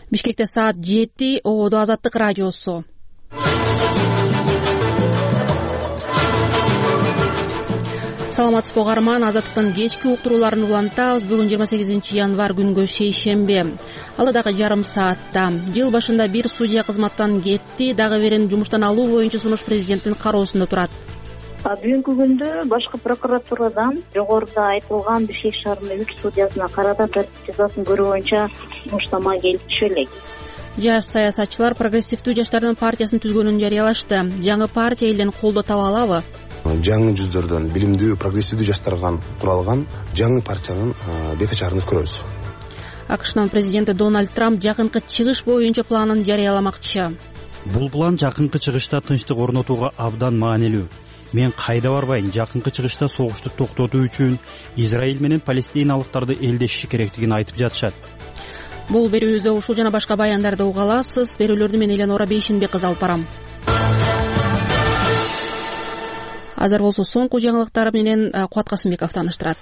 Бишкекте саат 7. Ободо Азаттык радиосу. Саламатсызбы угарман, Азаттыктын кечки уктурууларын улантабыз. Бүгүн 28 январь күнгө шейшембе. Ал дагы жарым саатта. Жыл башында бир судья кызматтан кетти, дагы бирин жумуштан алуу боюнча сунуш президенттин кароосунда турат. Бүгүнкү күндө башкы прокуратурадан жогоруда айтылган Бишкек шаарынын 3 судьясына карата тартип жазасын көрүү боюнча муштама келип түшө элек. Жаш саясатчылар прогрессивдүү жаштардын партиясын түзгөнүн жарыялашты. Жаңы партия элден колдоо таба алабы? Жаңы жүздөрдөн билимдүү прогрессивдүү жаштардан куралган жаңы партиянын бет ачарын көрөбүз. АКШнын президенти Дональд Трамп жакынкы чыгыш боюнча планын жарыяламакчы. Бул план жакынкы чыгышта тынчтык орнотууга абдан маанилүү. Мен кайда барбайын, жакынкы чыгышта согушту токтотуу үчүн Израиль менен палестиналыктарды элдешиши керектигин айтып жатышат. Бул берүүбүздө ушул жана башка баяндарды уга аласыз. Берүүлөрдү мен Эленора Бейшинбек алып барам. Азыр болсо соңку жаңылыктар менен Кубат Касымбеков тааныштырат.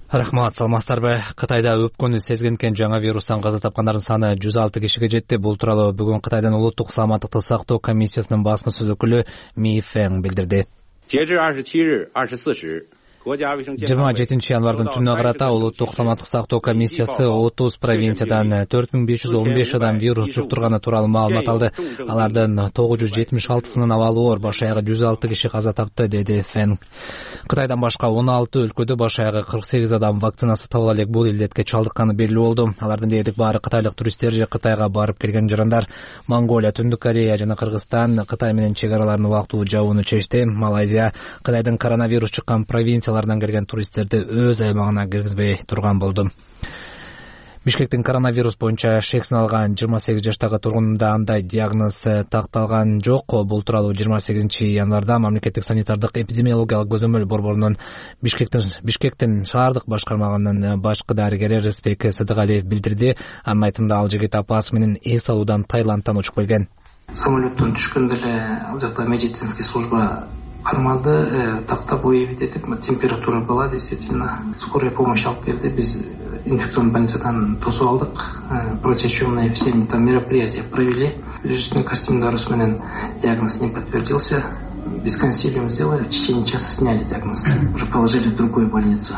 Рахмат, саламатсыздарбы? Кытайда өпкөнү сезгенкен жаңа вирустан каза тапкандардын саны 106 кишиге жетти. Бул тууралуу бүгүн Кытайдын улуттук саламаттыкты сактоо комиссиясынын баскынсыз өкүлү Ми Фэн билдирди. 27 январдын түнүнө карата улуттук саламаттык сактоо комиссиясы 30 провинциядан 4515 адам вирус жуктурганы тууралуу маалымат алды. Алардын 976сынын абалы оор, баш аягы 106 киши каза тапты, деди Фэн. Кытайдан башка 16 өлкөдө баш аягы 48 адам вакцинасы табыла элек бул илдетке чалдыкканы белгилүү болду. Алардын дээрлик баары кытайлык туристтер же Кытайга барып келген жарандар. Монголия, Түндүк Корея жана Кыргызстан Кытай менен чек араларын убактылуу жабууну чечти. Малайзия Кытайдын коронавирус чыккан провинцияларынан келген туристтерди өз аймагына киргизбей турган болду. Бишкектин коронавирус боюнча шексин алган 28 жаштагы тургунунда андай диагноз такталган жок. Бул тууралуу 28 январда мамлекеттик санитардык эпидемиологиялык көзөмөл борборунун Бишкектин шаардык башкармагынын башкы дарыгери Рыспек Сыдыгалиев билдирди. Анын айтымында ал жигит апасы менен эс алуудан Таиландтан учуп келген. Самолеттон түшкөндө эле ал жакта медицинский служба кармалды, тактап уебит этип, температура была действительно. Скорая помощь алып келди. Биз инфекционный больницадан тосуп алдык. Противочумные все там мероприятия провели. Пережиточный костюмдарус менен диагноз не подтвердился. Без консилиума сделали, в течение часа сняли диагноз. Уже положили в другую больницу.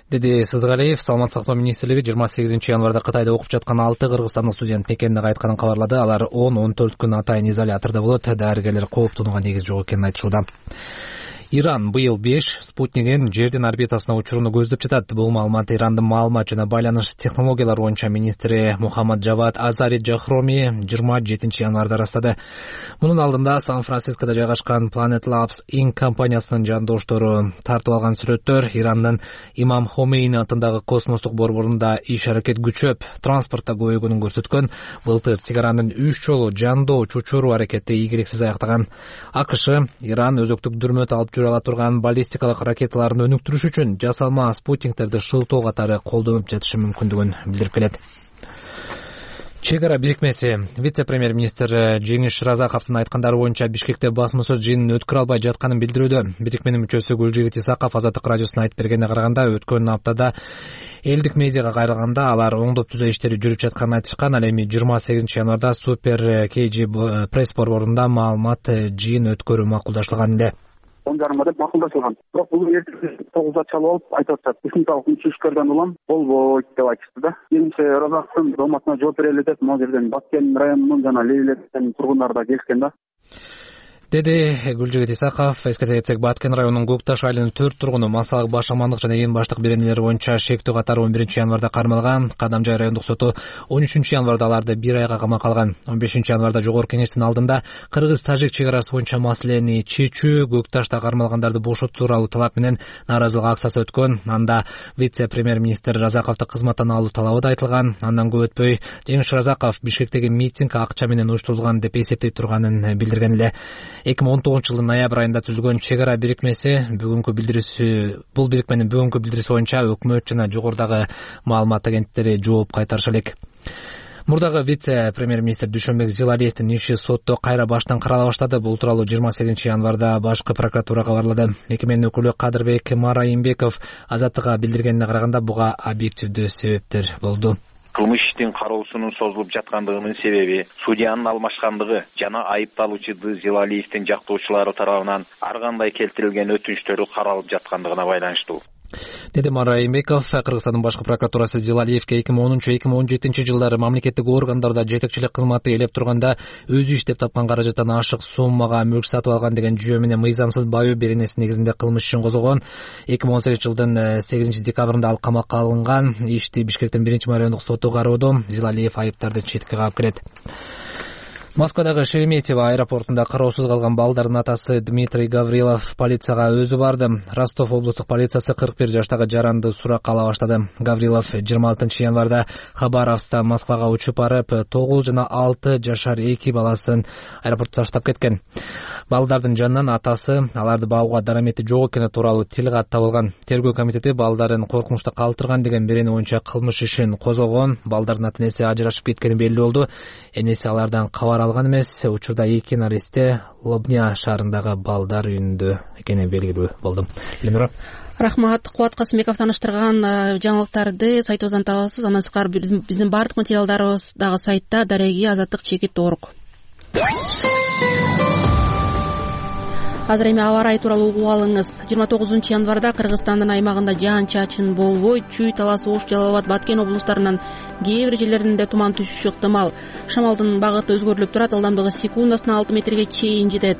Деди Сыдыгалиев. Саламаттык сактоо министрлиги 28 январда Кытайда окуп жаткан 6 кыргызстандык студент Пекенде кайтканын кабарлады. Алар 10-14 күн атайын изолятордо болот. Дарыгерлер кооптонууга негиз жок экенин айтышууда. Иран быйыл 5 спутнигин жердин орбитасына учурууну көздөп жатат. Бул маалымат Ирандын маалымат жана байланыш технологиялары боюнча министри Мухаммад Джавад Азари Джахроми 27 январда растады. Мунун алдында Сан-Францискодо жайгашкан Planet Labs Inc. компаниясынын жандоштору тартып алган сүрөттөр Ирандын Имам Хомейни атындагы космостук борборунда иш-аракет күчөп, транспортто көбөйгөнүн көрсөткөн. Былтыр чегаранын 3 жолу жандоо учуруу аракети ийгиликсиз аяктаган. АКШ Иран өзөктүк дүрмөт алып ала турган баллистикалык ракеталарын өнүктүрүш үчүн жасалма спутниктерди шылтоо катары колдонуп жатышы мүмкүндүгүн билдирип келет. Чек ара бирикмеси вице-премьер-министр Жеңиш Разаковдун айткандары боюнча Бишкекте басма сөз жыйынын өткөрө албай жатканын билдирүүдө. Бирикменин мүчөсү Гүлжигит Исаков Азаттык радиосуна айтып бергенине караганда, өткөн аптада элдик медиага кайрылганда алар оңдоп түзөө иштери жүрүп жатканын айтышкан. Ал эми 28 январда Супер КЖ пресс борборунда маалымат жыйын өткөрүү макулдашылган эле. 10:30 деп макулдашылган. Бирок бул эртең 9-да чалып алып айтып атышат. Техникалык учуштардан улам болбойт деп айтышты да. Жеңиш Разаковдун дооматына жооп берели деп, могу жерден Баткен районунун жана Лейлектен тургундары да келишкен да. Деди Гүлжигит Исаков. Эскерте кетсек, Баткен районунун Көкташ айылынын 4 тургуну массалык баш амандык жана эң баштык беренелери боюнча шектүү катары 11 январда кармалган. Кадамжай райондук соту 13 январда аларды 1 айга камакка алган. 15 январда жогорку кеңештин алдында Кыргыз-Тажик чек арасы боюнча маселени чечүү, Көкташта кармалгандарды бошотуу тууралуу талап менен нааразылык акциясы өткөн. Анда вице-премьер-министр Разаковду кызматтан алуу талабы да айтылган. Андан көп өтпөй Жеңиш Разаков Бишкектеги митинг акча менен уюштурулган деп эсептейт турганын билдирген эле. 2019 жылдын ноябрь айында түзүлгөн чек ара бирикмеси бул бирикменин бүгүнкү билдирүүсү боюнча өкмөт жана жогорудагы маалымат агенттиктери жооп кайтарышы элек. Мурдагы вице-премьер-министр Дүйшөнбек Зилалиевдин иши сотто кайра баштан карала баштады. Бул тууралуу 28 январда башкы прокуратура кабарлады. Мекеменин өкүлү Кадырбек Марайымбеков Азаттыкка билдиргенине караганда буга объективдүү себептер болду. Кылмыш иштин кароосунун созулуп жаткандыгынын себеби судьянын алмашкандыгы жана айыпталуучу Зилалиевдин жактоочулары тарабынан ар кандай келтирилген өтүнүчтөрү каралып жаткандыгына байланыштуу, деди Мара Райымбеков. Кыргызстандын башкы прокуратурасы Зилалиевге 2010-2017 жылдары мамлекеттик органдарда жетекчилик кызматы ээлеп турганда өзү иштеп тапкан каражаттан ашык суммага мүлк сатып алган деген жүйө менен мыйзамсыз баайоо беренеси негизинде кылмыш ишин козгогон. 2018 жылдын 8 декабрында ал камакка алынган. Ишти Бишкектин 1-райондук соту кароодо. Зилалиев айыптарды четке каап келет. Москвадагы Шереметьево аэропортунда кароосуз калган балдардын атасы Дмитрий Гаврилов полицияга өзү барды. Ростов облустук полициясы 41 жаштагы жаранды суракка ала баштады. Гаврилов 26 январда Хабаровскдан Москвага учуп барып, 9 жана 6 жашар 2 баласын аэропортто таштап кеткен. Балдардын жанынан атасы аларды багууга дарамети жок экени тууралуу тил кат табылган. Тергөө комитети балдарын коркунучта калтырган деген берени боюнча кылмыш ишин козгогон. Балдардын ата-энеси ажырашып кеткени белгилүү болду. Энеси алардан кабар алган эмес. Учурда эки наристе Лобня шаарындагы балдар үйүндө экени белгилүү болду. Рахмат. Кубат Касымбеков тааныштырган жаңылыктарды сайтыбыздан табасыз. Андан сырткары биздин баардык материалдарыбыз дагы сайтта. Дареги Азаттык.org. Азыр эми аба ырайы тууралуу угуп алыңыз. 29 январда Кыргызстандын аймагында жаан-чачын болбой, Чүй, Талас, Ош, Жалал абад, Баткен облустарынын кээ бир жерлеринде туман түшүшү ыктымал. Шамалдын багыты өзгөрүлүп турат, ылдамдыгы секундасына 6 метрге чейин жетет.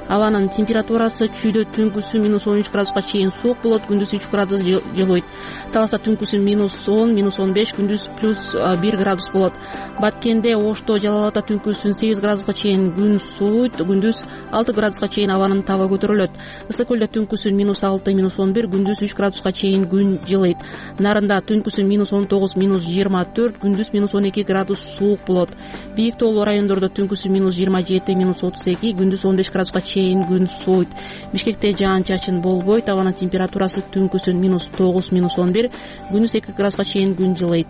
Абанын температурасы Чүйдө түнкүсү -13 градуска чейин суук болот, күндүз 3 градус жылыйт. Таласта түнкүсү -10, -15, күндүз +1 градус болот. Баткенде, Ошто, Жалал абадда түнкүсү 8 градуска чейин күн сууйт, күндүз 6 градуска чейин абанын табы көтөрүлөт. Ысык көлдө түнкүсү -6, -11, күндүз 3 градуска чейин күн жылыйт. Нарында түнкүсү -19, -24, күндүз -12 градус суук болот. Бийик тоолуу райондордо түнкүсү -27, -32, күндүз 15 градуска чейин күн сууйт. Бишкекте жаан-чачын болбойт, абанын температурасы түнкүсү -9, -11, күндүз 2 градуска чейин күн жылыйт.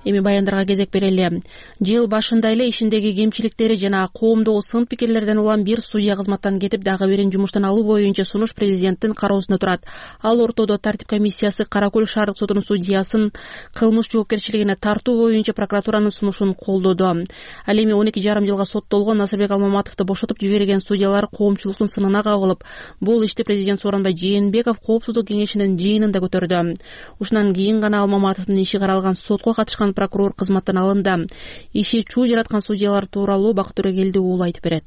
Эми баяндарга кезек берели. Жыл башында эле ишиндеги кемчиликтери жана коомдогу сын пикирлерден улам бир судья кызматтан кетип, дагы бирин жумуштан алуу боюнча сунуш президенттин кароосунда турат. Ал ортодо тартип комиссиясы Кара Көл шаардык сотунун судьясын кылмыш жоопкерчилигине тартуу боюнча прокуратуранын сунушун колдоду. Ал эми 12,5 жылга соттолгон Насырбек Алмаматовду бошотуп жиберген судьялар коомчулуктун сынына кабылып, бул ишти президент Сооронбай Жээнбеков коопсуздук кеңешинин жыйынында көтөрдү. Ушундан кийин гана Алмаматовдун иши каралган сотко катышкан прокурор кызматтан алынды. Иши чуу жараткан судьялар тууралуу Бакыт Төрөгелдиұлы айтып берет.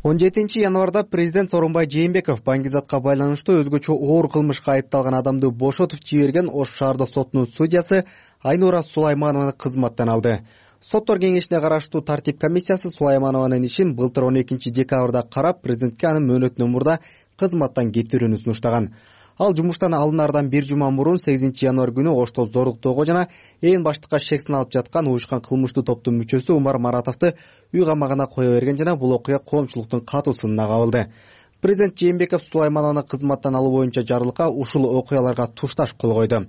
17 январда президент Сооронбай Жээнбеков Баңгизатка байланыштуу өзгөчө оор кылмышка айыпталган адамды бошотуп жиберген Ош шаардык сотунун судьясы Айнура Сулайманованы кызматтан алды. Соттор кеңешине караштуу тартип комиссиясы Сулайманованын ишин былтыр 12 декабрда карап, президентке анын мөөнөтүнөн мурда кызматтан кетирүүнү сунуштаган. Ал жумуштан алынардан бир жума мурун 8 январ күнү Ошто зоруктоого жана ээн баштыкка шек сыналып жаткан уюшкан кылмыштуу топтун мүчөсү Умар Маратовду үй камагына кое берген жана бул окуя коомчулуктун катуу сынына кабылды. Президент Жээнбеков Сулаймановну кызматтан алуу боюнча жарлыкка ушул окуяларга тушташ кол койду.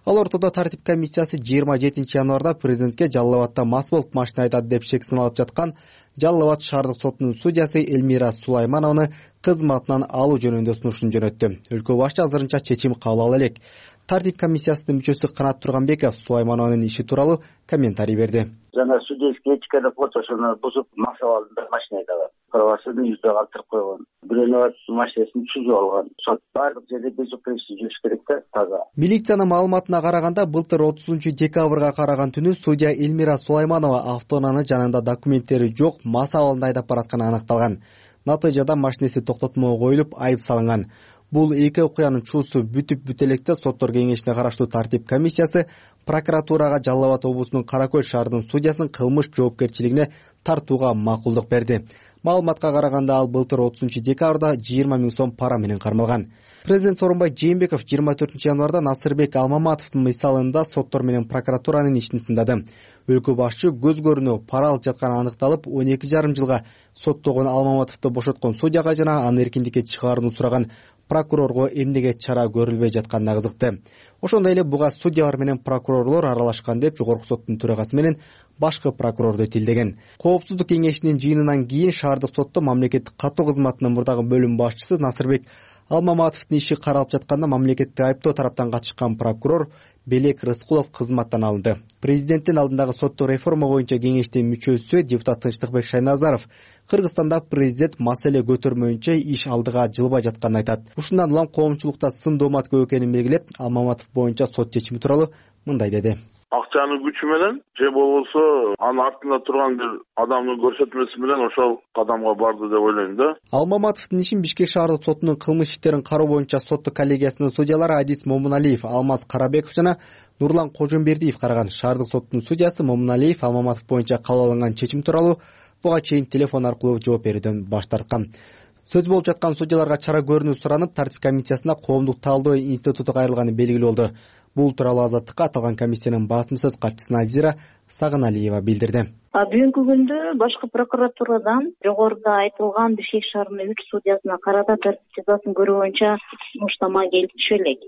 Ал ортодо тартип комиссиясы 27 январда президентке Жалал абадда мас болуп машина айдады деп шек сыналып жаткан Жалал абад шаардык сотунун судьясы Элмира Сулаймановну кызматынан алуу жөнүндө сунушун жөнөттү. Өлкө башчы азырынча чечим кабыл ала элек. Тартип комиссиясынын мүчөсү Канат Турганбеков Сулайманованын иши тууралуу комментарий берди. Жана судейский этиканы ошону бузуп мас абалында машина айдаган. Правосудный yüzde калтырып койгон. Бирөөнү машинасын түзүп алган. Сот бардык жерде безупречный жүрүш керек да, таза. Милициянын маалыматына караганда, былтыр 30 декабрга караган түнү судья Элмира Сулайманова автоунаанын жанында документтери жок мас абалында айдап баратканы аныкталган. Натыйжада машинеси токтотмого коюлуп, айып салынган. Бул эки окуянын чуусу бүтүп бүт электе соттор кеңешине караштуу тартип комиссиясы прокуратурага Жалал абад облусунун Кара Көл шаарынын судьясын кылмыш жоопкерчилигине тартууга макулдук берди. Маалыматка караганда ал былтыр 30 декабрда 20 000 сом пара менен кармалган. Президент Сооронбай Жээнбеков 24 январда Насырбек Алмаматовдун мисалында соттор менен прокуратуранын ишин сындады. Өлкө башчы көз көрүнө пара алып жатканы аныкталып, 12,5 жылга соттогон Алмаматовду бошоткон судьяга жана аны эркиндикке чыгарууну сураган прокурорго эмнеге чара көрүлбөй жатканына кызыкты. Ошондой эле буга судьялар менен прокурорлор аралашкан деп Жогорку соттун төрагасы менен башкы прокурорду тилдеген. Коопсуздук кеңешинин жыйынынан кийин шаардык сотто мамлекеттик каттоо кызматынын мурдагы бөлүм башчысы Насырбек Алмаматовдун иши каралып жатканда мамлекеттик айыптоо тараптан катышкан прокурор Белек Рыскулов кызматтан алынды. Президенттин алдындагы соттук реформа боюнча кеңештин мүчөсү депутат Тынчтыкбек Шайназаров Кыргызстанда президент маселе көтөрмөйүнчө иш алдыга жылбай жатканын айтат. Ушундан улам коомчулукта сын доомат көп экенин белгилеп, Алмаматов боюнча сот чечими тууралуу мындай деди. Акчанын күчү менен же болбосо анын артында турган бир адамдын көрсөтмөсү менен ошол кадамга барды деп ойлойм да. Алмаматовдун ишин Бишкек шаардык сотунун кылмыш иштерин кароо боюнча соттук коллегиясынын судьялары Адис Момуналиев, Алмаз Карабеков жана Нурлан Кожомбердиев караган. Шаардык соттун судьясы Момуналиев Алмаматов боюнча кабыл алынган чечим тууралуу буга чейин телефон аркылуу жооп берүүдөн баш тарткан. Сөз болуп жаткан судьяларга чара көрүүнү суранып, тартип комиссиясына коомдук талдоо институту кайрылганы белгилүү болду. Бул тууралуу Азаттыкка аталган комиссиянын басма сөз катчысы Назира Сагыналиева билдирди. Бүгүнкү күндө башкы прокуратурадан жогоруда айтылган Бишкек шаарынын 3 судьясына карата тартип жазасын көрүү боюнча муштама келип түшө элек.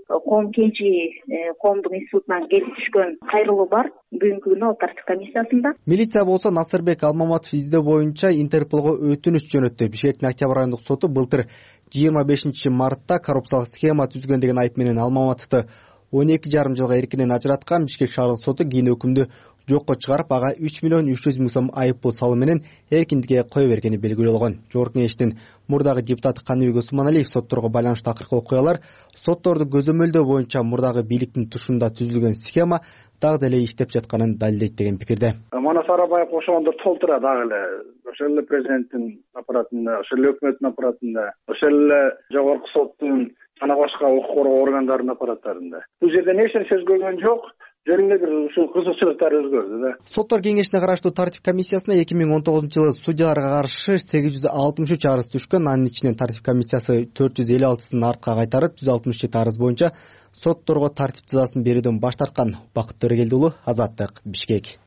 Коомдук институтунан келип түшкөн кайрылуу бар. Бүгүнкү күнү ал тартип комиссиясында. Милиция болсо Насырбек Алмаматов издөө боюнча Интерполго өтүнүч жөнөттү. Бишкектин Октябрь райондук соту былтыр 25 мартта коррупциялык схема түзгөн деген айып менен Алмаматовду 12,5 жылга эркинен ажыраткан. Бишкек шаардык соту кийин өкүмдү жокко чыгарып, ага 3 миллион 300 миң сом айып пул салуу менен эркиндикке кое бергени белгилүү болгон. Жогорку кеңештин мурдагы депутаты Каныбек Усманалиев сотторго байланыштуу акыркы окуялар, сотторду көзөмөлдөө боюнча мурдагы бийликтин тушунда түзүлгөн схема дагы деле иштеп жатканын далилдейт деген пикирде. Манас Арабаев ошондо толтура дагы эле ошол эле президенттин аппаратында, ошол эле өкмөттүн аппаратында, ошол эле жогорку соттун жана башка укук коргоо органдарынын аппараттарында. Бул жерден эч нерсе өзгөргөн жок. Жөн эле бир ушул кызыкчылыктар өзгөрдү да. Соттор кеңешине караштуу тартип комиссиясына 2019-жылы судьяларга каршы 863 арыз түшкөн. Анын ичинен тартип комиссиясы 456сын артка кайтарып, 167 арыз боюнча сотторго тартип жазасын берүүдөн баш тарткан. Бакыт Төрөгелди уулу, Азаттык, Бишкек.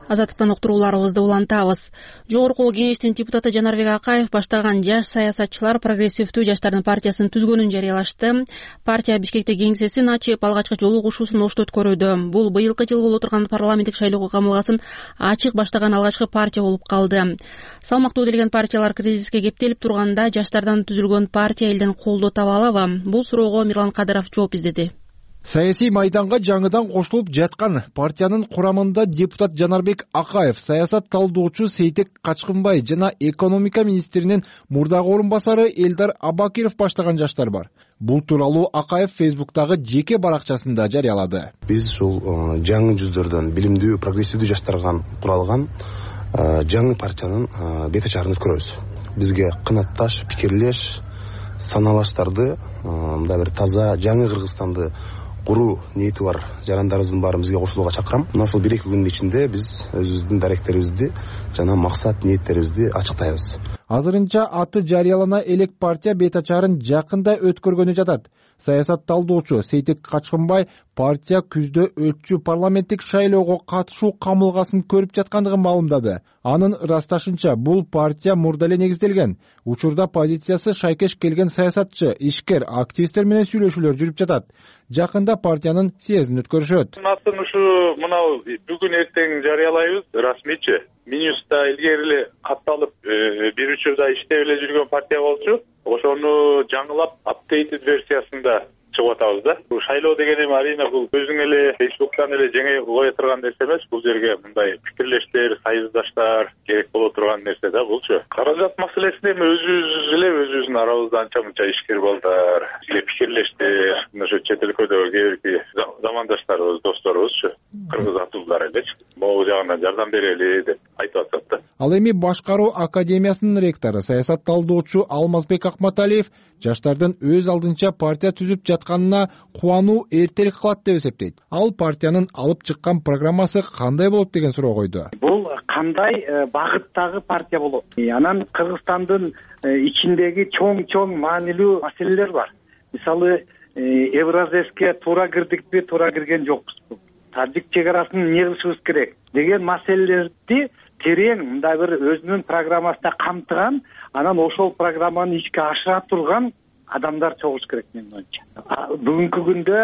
Азаттыктан уктурууларыбызды улантабыз. Жогорку кеңештин депутаты Жанарбек Акаев баштаган жаш саясатчылар прогрессивдүү жаштардын партиясын түзгөнүн жарыялашты. Партия Бишкекте кеңсесин ачып, алгачкы жолу кушуусун Ошто өткөрүүдө. Бул быйылкы жылы боло турган парламенттик шайлоого камылгасын ачык баштаган алгачкы партия болуп калды. Салмактуу делген партиялар кризиске кептелип турганда жаштардан түзүлгөн партия элден колдоо таба алабы? Бул суроого Мирлан Кадыров жооп издеди. Саясий майданга жаңыдан кошулуп жаткан партиянын курамында депутат Жанарбек Акаев, саясат талдоочу Сейтек Качкынбай жана экономика министринин мурдагы орун басары Элдар Абакиров баштаган жаштар бар. Бул тууралуу Акаев Фейсбуктагы жеке баракчасында жарыялады. Биз ушул жаңы жүздөрдөн билимдүү, прогрессивдүү жаштардан куралган жаңы партиянын бет ачарын өткөрөбүз. Бизге кынатташ, пикирлеш, саналаштарды, мындай бир таза жаңы Кыргызстанды куруу ниети бар жарандарыбыздын баарын бизге кошулууга чакырам. Мына ушул 1-2 күндүн ичинде биз өзүбүздүн даректерибизди жана максат ниеттерибизди ачыктайбыз. Азырынча аты жарыялана элек партия бет ачарын жакында өткөргөнү жатат. Саясат талдоочу Сейтек Качкынбай партия күздө өтчү парламенттик шайлоого катышуу камылгасын көрүп жаткандыгын маалымдады. Анын ырасташынча бул партия мурда эле негизделген. Учурда позициясы шайкеш келген саясатчы, ишкер, активисттер менен сүйлөшүүлөр жүрүп жатат. Жакында партиянын съездин өткөрүшөт. Атын ушу мынау бүгүн эртең жарыялайбыз расмийчи. Минюста илгери эле катталып 1-3 жылда иштеп эле жүргөн партия болчу. Ошону жаңылап апдейтед версиясында чыгып атабыз да. Бул шайлоо деген эми арийне бул өзүң эле Фейсбуктан эле жеңе кое турган нерсе эмес. Бул жерге мындай пикирлештер, союздаштар керек боло турган нерсе да булчу. Каражат маселесинде эми өзүбүздүн арабызда анча мынча ишкер балдар, бизге пикирлештер, ошо чет өлкөдөгү кээ бирки замандаштарыбыз, досторубузчу, кыргыз атуулдар элечи. Могу жагынан жардам берели деп айтып атат да. Ал эми башкаруу академиясынын ректору, саясат талдоочу Алмазбек Акматалиев жаштардын өз алдынча партия түзүп жатканына кубануу эртерээк кылат деп эсептейт. Ал партиянын алып чыккан программасы кандай болот деген суроо койду. Бул кандай багыттагы партия болот? Анан Кыргызстандын ичиндеги чоң маанилүү маселелер бар. Мисалы, Евразеске туура кирдикпи, туура кирген жокпузбу? тажик чек арасын эмне кылышыбыз керек деген маселелерди терең мындай бир өзүнүн программасында камтыган, анан ошол программаны ишке ашыра турган адамдар чогулуш керек менин оюмча. Бүгүнкү күндө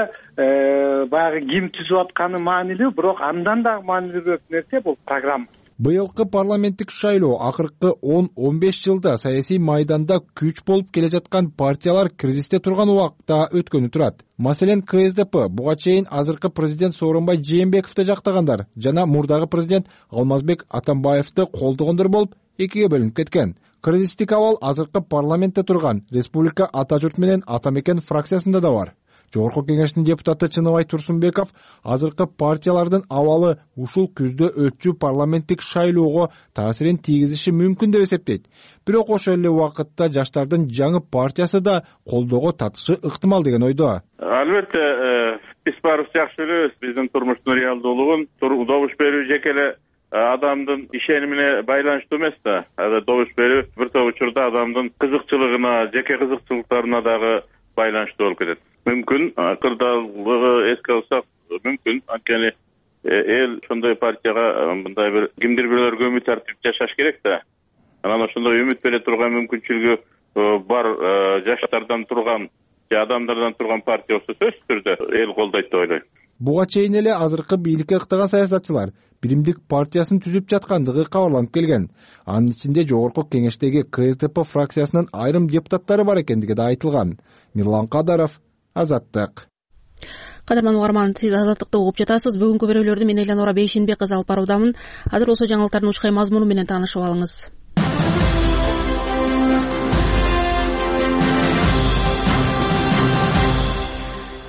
баягы ким түзүп атканы маанилүү, бирок андан да маанилүүрөөк нерсе бул программа. Быйылкы парламенттик шайлоо акыркы 10-15 жылда саясий майданда күч болуп келе жаткан партиялар кризисте турган убакта өткөнү турат. Маселен, КСДП буга чейин азыркы президент Сооронбай Жээнбековду жактагандар жана мурдагы президент Алмазбек Атамбаевди колдогондор болуп экиге бөлүнүп кеткен. Кризистик абал азыркы парламентте турган Республика Ата журт менен Ата мекен фракциясында да бар. Жогорку кеңештин депутаты Чыныбай Турсунбеков азыркы партиялардын абалы ушул күздө өтчү парламенттик шайлоого таасирин тийгизиши мүмкүн деп эсептейт. Бирок ошол эле убакытта жаштардын жаңы партиясы да колдоого татышы ыктымал деген ойдо. Албетте, биз баарыбыз жакшы билебиз биздин турмуштун реалдуулугун. Добуш берүү жеке эле адамдын ишенимине байланыштуу эмес да. Добуш берүү бир топ учурда адамдын кызыкчылыгына, жеке кызыкчылыктарына дагы байланыштуу болуп кетет. Мүмкүн акырдагы эске алсак, мүмкүн анткени эл ошондой партияга мындай бир кимдир бирөөлөргө үмүт артып жашаш керек да. Анан ошондой үмүт бере турган мүмкүнчүлүгү бар жаштардан турган же адамдардан турган партия болсо сөзсүз түрдө эл колдойт деп ойлойм. Буга чейин эле азыркы бийликке ыктаган саясатчылар Биримдик партиясын түзүп жаткандыгы кабарланып келген. Анын ичинде жогорку кеңештеги КСДП фракциясынын айрым депутаттары бар экендиги да айтылган. Мирлан Кадаров, Азаттык. Кадырман угарман, сиз Азаттыкты угуп жатасыз. Бүгүнкү берүүлөрдү мен Элянора Бейшенбек кызы алып баруудамын. Азыр болсо жаңылыктардын учкай мазмуну менен таанышып алыңыз.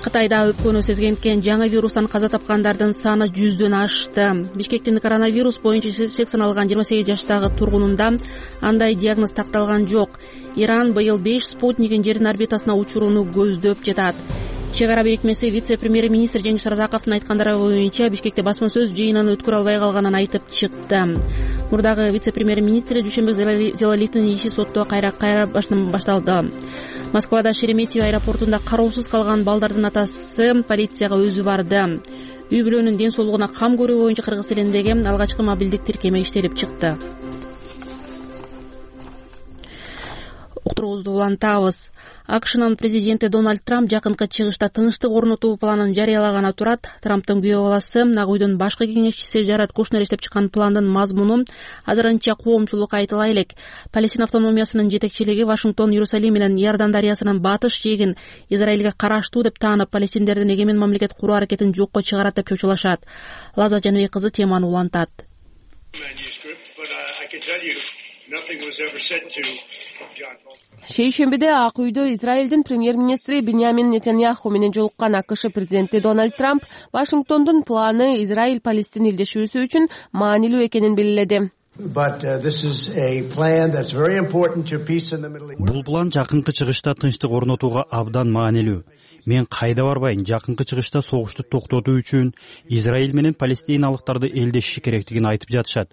Кытайда өпкөнү сезгенткен жаңы вирустан каза тапкандардын саны 100дөн ашты. Бишкектин коронавирус боюнча чек саналган 28 жаштагы тургунунда андай диагноз такталган жок. Иран быйыл 5 спутнигин жердин орбитасына учурууну көздөп жатат. Чек ара бирикмеси вице-премьер-министр Жеңиш Разаковдун айткандары боюнча Бишкекте басма сөз жыйынын өткөрө албай калганын айтып чыкты. Мурдагы вице-премьер-министр Дүйшөнбек Зелалиевдин иши сотто кайра башталды. Москвада Шереметьево аэропортунда кароосуз калган балдардын атасы полицияга өзү барды. Үй бүлөнүн ден соолугуна кам көрүү боюнча Кыргыз элиндеги алгачкы мобилдик тиркеме иштелип чыкты. Уктуруубузду улантабыз. АКШнын президенти Дональд Трамп жакынкы чыгышта тынчтык орнотуу планын жарыялаганы турат. Трамптын күйөө баласы Ак үйдүн башкы кеңешчиси Жарат Кушнер иштеп чыккан пландын мазмуну азырынча коомчулукка айтыла элек. Палестина автономиясынын жетекчилиги Вашингтон Иерусалим менен Иордан дарыясынын батыш жээгин Израилге караштуу деп таанып, палестиндердин эгемен мамлекет куруу аракетин жокко чыгарат деп чочулашат. Лаза Жаныбек кызы теманы улантат. Шейшембиде Ак үйдө Израилдин премьер-министри Биньямин Нетаньяху менен жолуккан АКШ президенти Дональд Трамп Вашингтондун планы Израиль-Палестина илдешүүсү үчүн маанилүү экенин белгиледи. Бул план жакынкы чыгышта тынчтык орнотууга абдан маанилүү. Мен кайда барбайын, жакынкы чыгышта согушту токтотуу үчүн Израиль менен палестиналыктарды элдешиши керектигин айтып жатышат.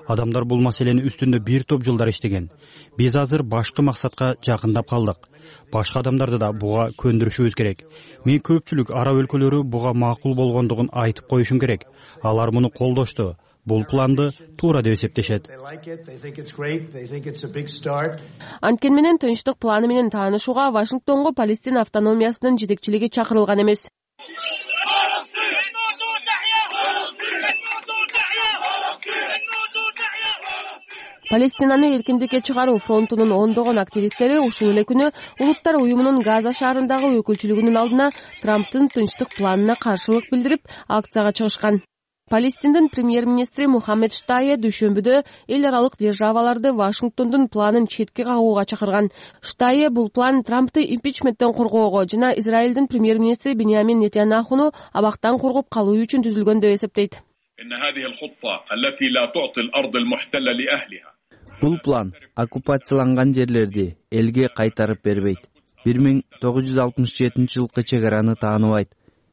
Адамдар бул маселени үстүндө бир топ жылдар иштеген. Биз азыр башкы максатка жакындап калдык. Башка адамдарды да буга көндүрүшүбүз керек. Мен көпчүлүк араб өлкөлөрү буга макул болгондугун айтып коюшум керек. Алар муну колдошту. Бул планды туура деп эсептешет. Анткени менен тынчтык планы менен таанышууга Вашингтонго Палестина автономиясынын жетекчилиги чакырылган эмес. Палестинаны эркиндикке чыгаруу фронтунун ондогон активисттери ушул эле күнү Улуттар уюмунун Газа шаарындагы өкүлчүлүгүнүн алдына Трамптын тынчтык планына каршылык билдирип акцияга чыгышкан. Палестиндин премьер-министри Мухаммед Штайе дүйшөмбүдө эл аралык державаларды Вашингтондун планын четке кагууга чакырган. Штайе бул план Трампты импичменттен коргоого жана Израилдин премьер-министри Биньямин Нетаньяхуну абактан коргоп калуу үчүн түзүлгөн деп эсептейт. Бул план оккупацияланган жерлерди элге кайтарып бербейт. 1967 жылкы чек араны тааныбайт.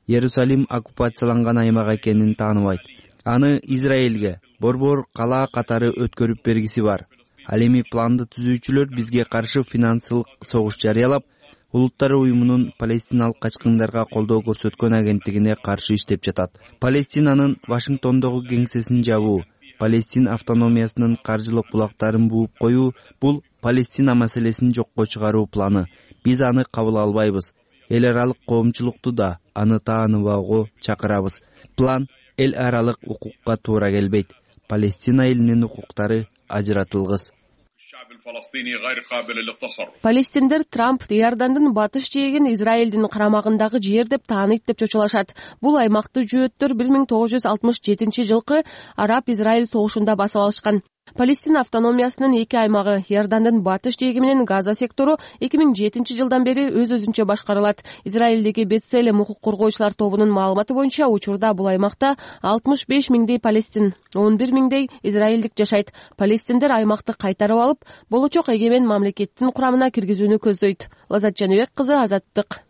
Иерусалим оккупацияланган аймак экенин тааныбайт. Аны Израилге борбор кала катары өткөрүп бергиси бар. Ал эми планды түзүүчүлөр бизге каршы финансылык согуш жарыялап, Улуттар уюмунун палестиналык качкындарга колдоо көрсөткөн агенттигине каршы иштеп жатат. Палестинанын Вашингтондогу кеңсесин жабуу, Палестин автономиясынын каржылык булактарын бууп коюу — бул Палестина маселесин жокко чыгаруу планы. Биз аны кабыл албайбыз. Эл аралык коомчулукту да аны тааныбоого чакырабыз. План эл аралык укукка туура келбейт. Палестина элинин укуктары ажыратылгыс. Палестиндер Трамп Иордандын батыш жээгин Израилдин карамагындагы жер деп тааныйт деп чочулашат. Бул аймакты жөөттөр 1967 жылкы Араб-Израиль согушунда басып алышкан. Палестина автономиясынын эки аймагы Иордандын батыш жээги менен Газа сектору 2007 жылдан бери өз-өзүнчө башкарылат. Израилдеги Бетселем укук коргоочулар тобунун маалыматы боюнча учурда бул аймакта 65 миңдей палестин, 11 миңдей израилдик жашайт. Палестиндер аймакты кайтарып алып, болочок эгемен мамлекеттин курамына киргизүүнү көздөйт. Лазат Жаныбек кызы, Азаттык.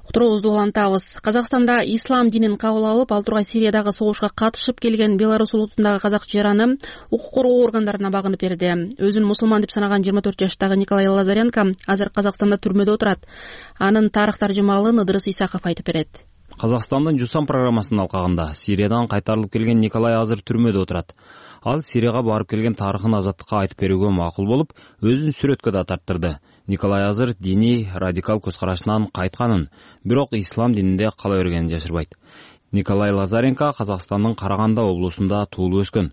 Уктуруубузду улантабыз. Казакстанда ислам динин кабыл алып, ал тургай Сириядагы согушка катышып келген Беларусь улутундагы казак жараны укук коргоо органдарына багынып берди. Өзүн мусулман деп санаган 24 жаштагы Николай Лазаренко азыр Казакстанда түрмөдө отурат. Анын тарых таржымалын Ыдырыс Исаков айтып берет. Казакстандын Жусан программасынын алкагында Сириядан кайтарылып келген Николай азыр түрмөдө отурат. Ал Сирияга барып келген тарыхын азаттыкка айтып берүүгө макул болуп, өзүн сүрөткө да тарттырды. Николай азыр диний радикал көз карашынан кайтканын, бирок ислам дининде кала бергенин жашырбайт. Николай Лазаренко Казакстандын Караганда облусунда туулуп өскөн.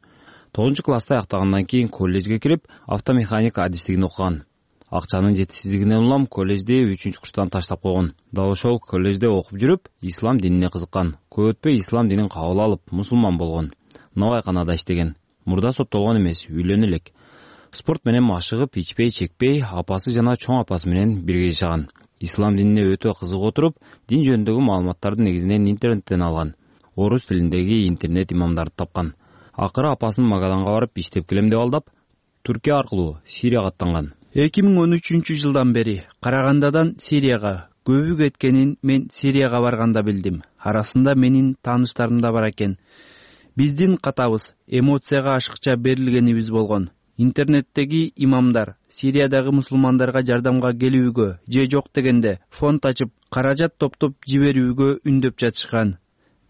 9-класста аяктагандан кийин коллежге кирип, автомеханик адистигин окуган. Акчанын жетишсиздигинен улам коллежди 3-курстан таштап койгон. Дал ошол коллежде окуп жүрүп, ислам динине кызыккан. Көп өтпөй ислам динин кабыл алып, мусулман болгон. Новайканада иштеген. Мурда соттолгон эмес, үйлөнө элек. Спорт менен машыгып, ичпей, чекпей, апасы жана чоң апасы менен бирге жашаган. Ислам динине өтө кызыгып отуруп, дин жөнүндөгү маалыматтарды негизинен интернеттен алган. Орус тилиндеги интернет имамдарды тапкан. Акыры апасын Магаданга барып иштеп келем деп алдап, Түркия аркылуу Сирияга аттанган. 2013 жылдан бери Карагандадан Сирияга көбү кеткенин мен Сирияга барганда билдим. Арасында менин тааныштарым да бар экен. Биздин катабыз эмоцияга ашыкча берилгенибиз болгон. Интернеттеги имамдар Сириядагы мусулмандарга жардамга келүүгө же жок дегенде фонд ачып, каражат топтоп жиберүүгө үндөп жатышкан.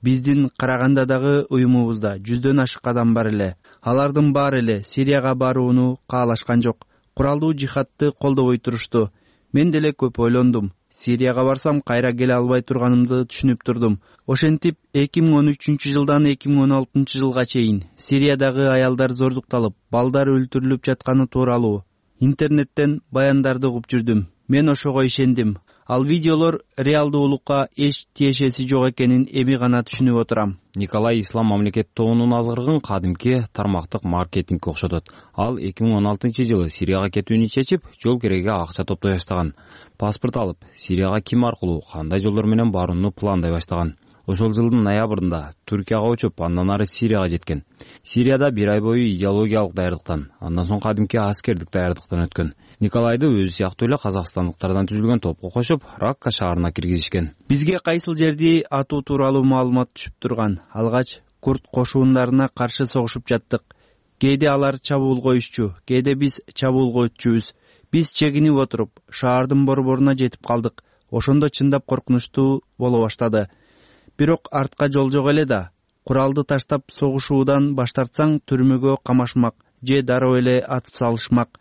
Биздин Карагандадагы уюмубузда 100дөн ашык адам бар эле. Алардын баары эле Сирияга барууну каалашкан жок. Куралдуу жихадты колдобой турушту. Мен деле көп ойлондум. Сирияга барсам кайра келе албай турганымды түшүнүп турдум. Ошентип 2013 жылдан 2016 жылга чейин Сириядагы аялдар зордукталып, балдар өлтүрүлүп жатканы тууралуу интернеттен баяндарды угуп жүрдүм. Мен ошого ишендим. Ал видеолор реалдуулукка эч тиешеси жок экенин эми гана түшүнүп отурам. Николай ислам мамлекет тобунун азгырыгын кадимки тармактык маркетингге окшотот. Ал 2016 жылы Сирияга кетүүнү чечип, жол кереге акча топтой баштаган. Паспорт алып, Сирияга ким аркылуу, кандай жолдор менен барууну пландай баштаган. Ошол жылдын ноябрында Түркияга учуп, андан ары Сирияга жеткен. Сирияда 1 ай бою идеологиялык даярдыктан, андан соң кадимки аскердик даярдыктан өткөн. Николайды өзү сыяктуу эле казакстандыктардан түзүлгөн топко кошуп, Ракка шаарына киргизишкен. Бизге кайсыл жерди атуу тууралуу маалымат түшүп турган. Алгач курд кошуундарына каршы согушуп жаттык. Кээде алар чабуул коюшчу, кээде биз чабуул коючубуз. Биз чегинип отуруп, шаардын борборуна жетип калдык. Ошондо чындап коркунучтуу боло баштады. Бирок артка жол жок эле да. Куралды таштап согушуудан баш тартсаң түрмөгө камашмак же дароо эле атып салышмак.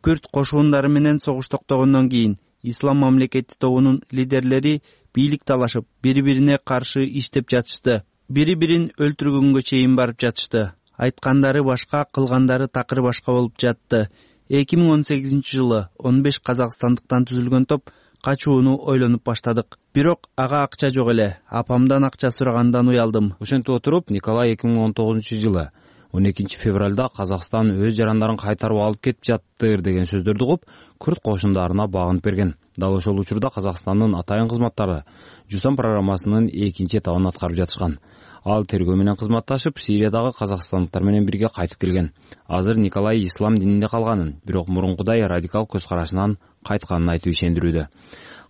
Күрд кошуундары менен согуш токтогондон кийин ислам мамлекети тобунун лидерлери бийлик талашып, бири-бирине каршы иштеп жатышты. Бири-бирин өлтүргөнгө чейин барып жатышты. Айткандары башка, кылгандары такыр башка болуп жатты. 2018 жылы 15 казакстандыктан түзүлгөн топ качууну ойлонуп баштадык. Бирок ага акча жок эле. Апамдан акча сурагандан уялдым. Ошентип отуруп, Николай 2019 жылы 12 февралда Казакстан өз жарандарын кайтарып алып кетип жаттыр деген сөздөрдү угуп, күрд кошундарына багынып берген. Дал ошол учурда Казакстандын атайын кызматтары Жусан программасынын экинчи этабын аткарып жатышкан. Ал тергөө менен кызматташып, Сириядагы казакстандыктар менен бирге кайтып келген. Азыр Николай ислам динине калганын, бирок мурункудай радикал көз карашынан кайтканын айтып ишендирүүдө.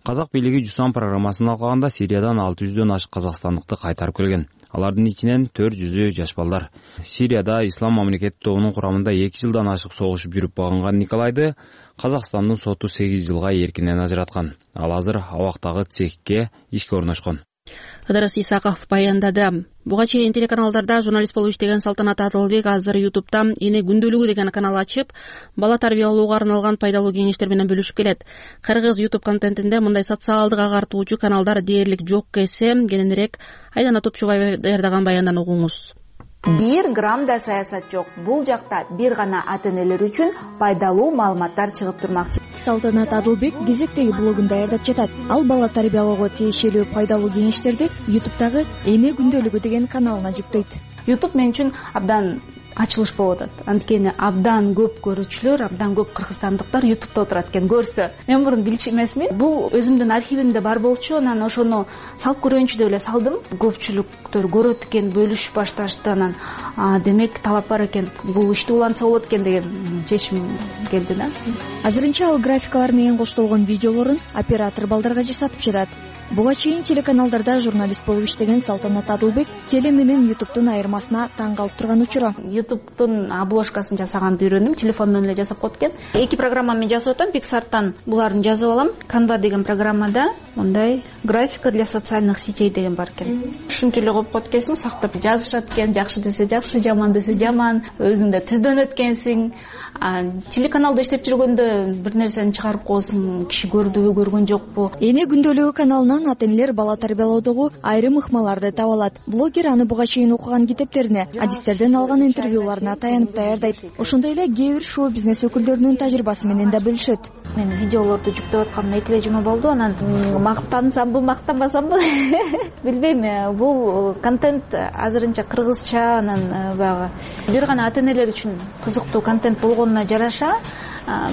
Казак бийлиги Жусан программасын алганда Сириядан 600дөн ашык казакстандыкты кайтарып келген. Алардын ичинен 400-ü жаш балдар. Сирияда ислам мамлекети тобунун курамында 2 жылдан ашык согушуп жүрүп багынган Николайды Казакстандын соту 8 жылга эркинен ажыраткан. Ал азыр абактагы цехке ишке орношкон. Ыдырыс Исаков баяндады. Буга чейин телеканалдарда журналист болуп иштеген Салтанат Адылбек азыр YouTube'да Эне күндөлүгү деген канал ачып, бала тарбиялоого арналган пайдалуу кеңештер менен бөлүшүп келет. Кыргыз YouTube контентинде мындай социалдык агартуучу каналдар дээрлик жок эсе, кененирээк Айдана Топчубаева даярдаган баяндан угуңуз. 1 грамм да саясат жок. Бул жакта бир гана ата-энелер үчүн пайдалуу маалыматтар чыгып турмакчы. Салтанат Адылбек кезектеги блогун даярдап жатат. Ал бала тарбиялоого тиешелүү пайдалуу кеңештерди YouTube'дагы Эне күндөлүгү деген каналына жүктөйт. YouTube мен үчүн абдан ачылыш болуп атат. Анткени абдан көп көрүүчүлөр, абдан көп кыргызстандыктар YouTube'да отурат экен. Көрсө, мен мурун билчү эмесмин. Бул өзүмдүн архивимде бар болчу, анан ошону салып көрөйүнчү деп эле салдым. Көпчүлүктөр көрөт экен, бөлүшүп башташты. Анан демек талап бар экен, бул ишти улантса болот экен деген чечим келди да. Азырынча ал графикалар менен коштолгон видеолорун оператор балдарга жасатып жатат. Буга чейин телеканалдарда журналист болуп иштеген Салтанат Адылбек теле менен YouTube'дун айырмасына таң калып турган учуру. YouTube'дун обложкасын жасаганды үйрөндүм, телефондон эле жасап коет экен. 2 программамен жасап атам, Pixar'тан буларын жазып алам. Canva деген программада мындай графика для социальных сетей деген бар экен. Ушинтип эле коюп коет экенсиң, сактап жазышат экен, жакшы десе жакшы, жаман десе жаман, өзүң да түздөнөт экенсиң. Телеканалда иштеп жүргөндө бир нерсени чыгарып коесуң, киши көрдүбү, көргөн жокпу. Эне күндөлүгү каналынан ата-энелер бала тарбиялоодогу айрым ыкмаларды таба алат. Блогер аны буга чейин окуган китептерине, адистерден алган интервьюларына таянып даярдайт. Ошондой эле кээ бир шоу-бизнес өкүлдөрүнүн тажрыйбасы менен да бөлүшөт. Мен видеолорду жүктөп атканыма 2 жума болду. Анан мактансамбы, мактанбасамбы билбейм. Бул контент азырынча кыргызча, анан баягы бир гана ата-энелер үчүн кызыктуу контент болгонуна жараша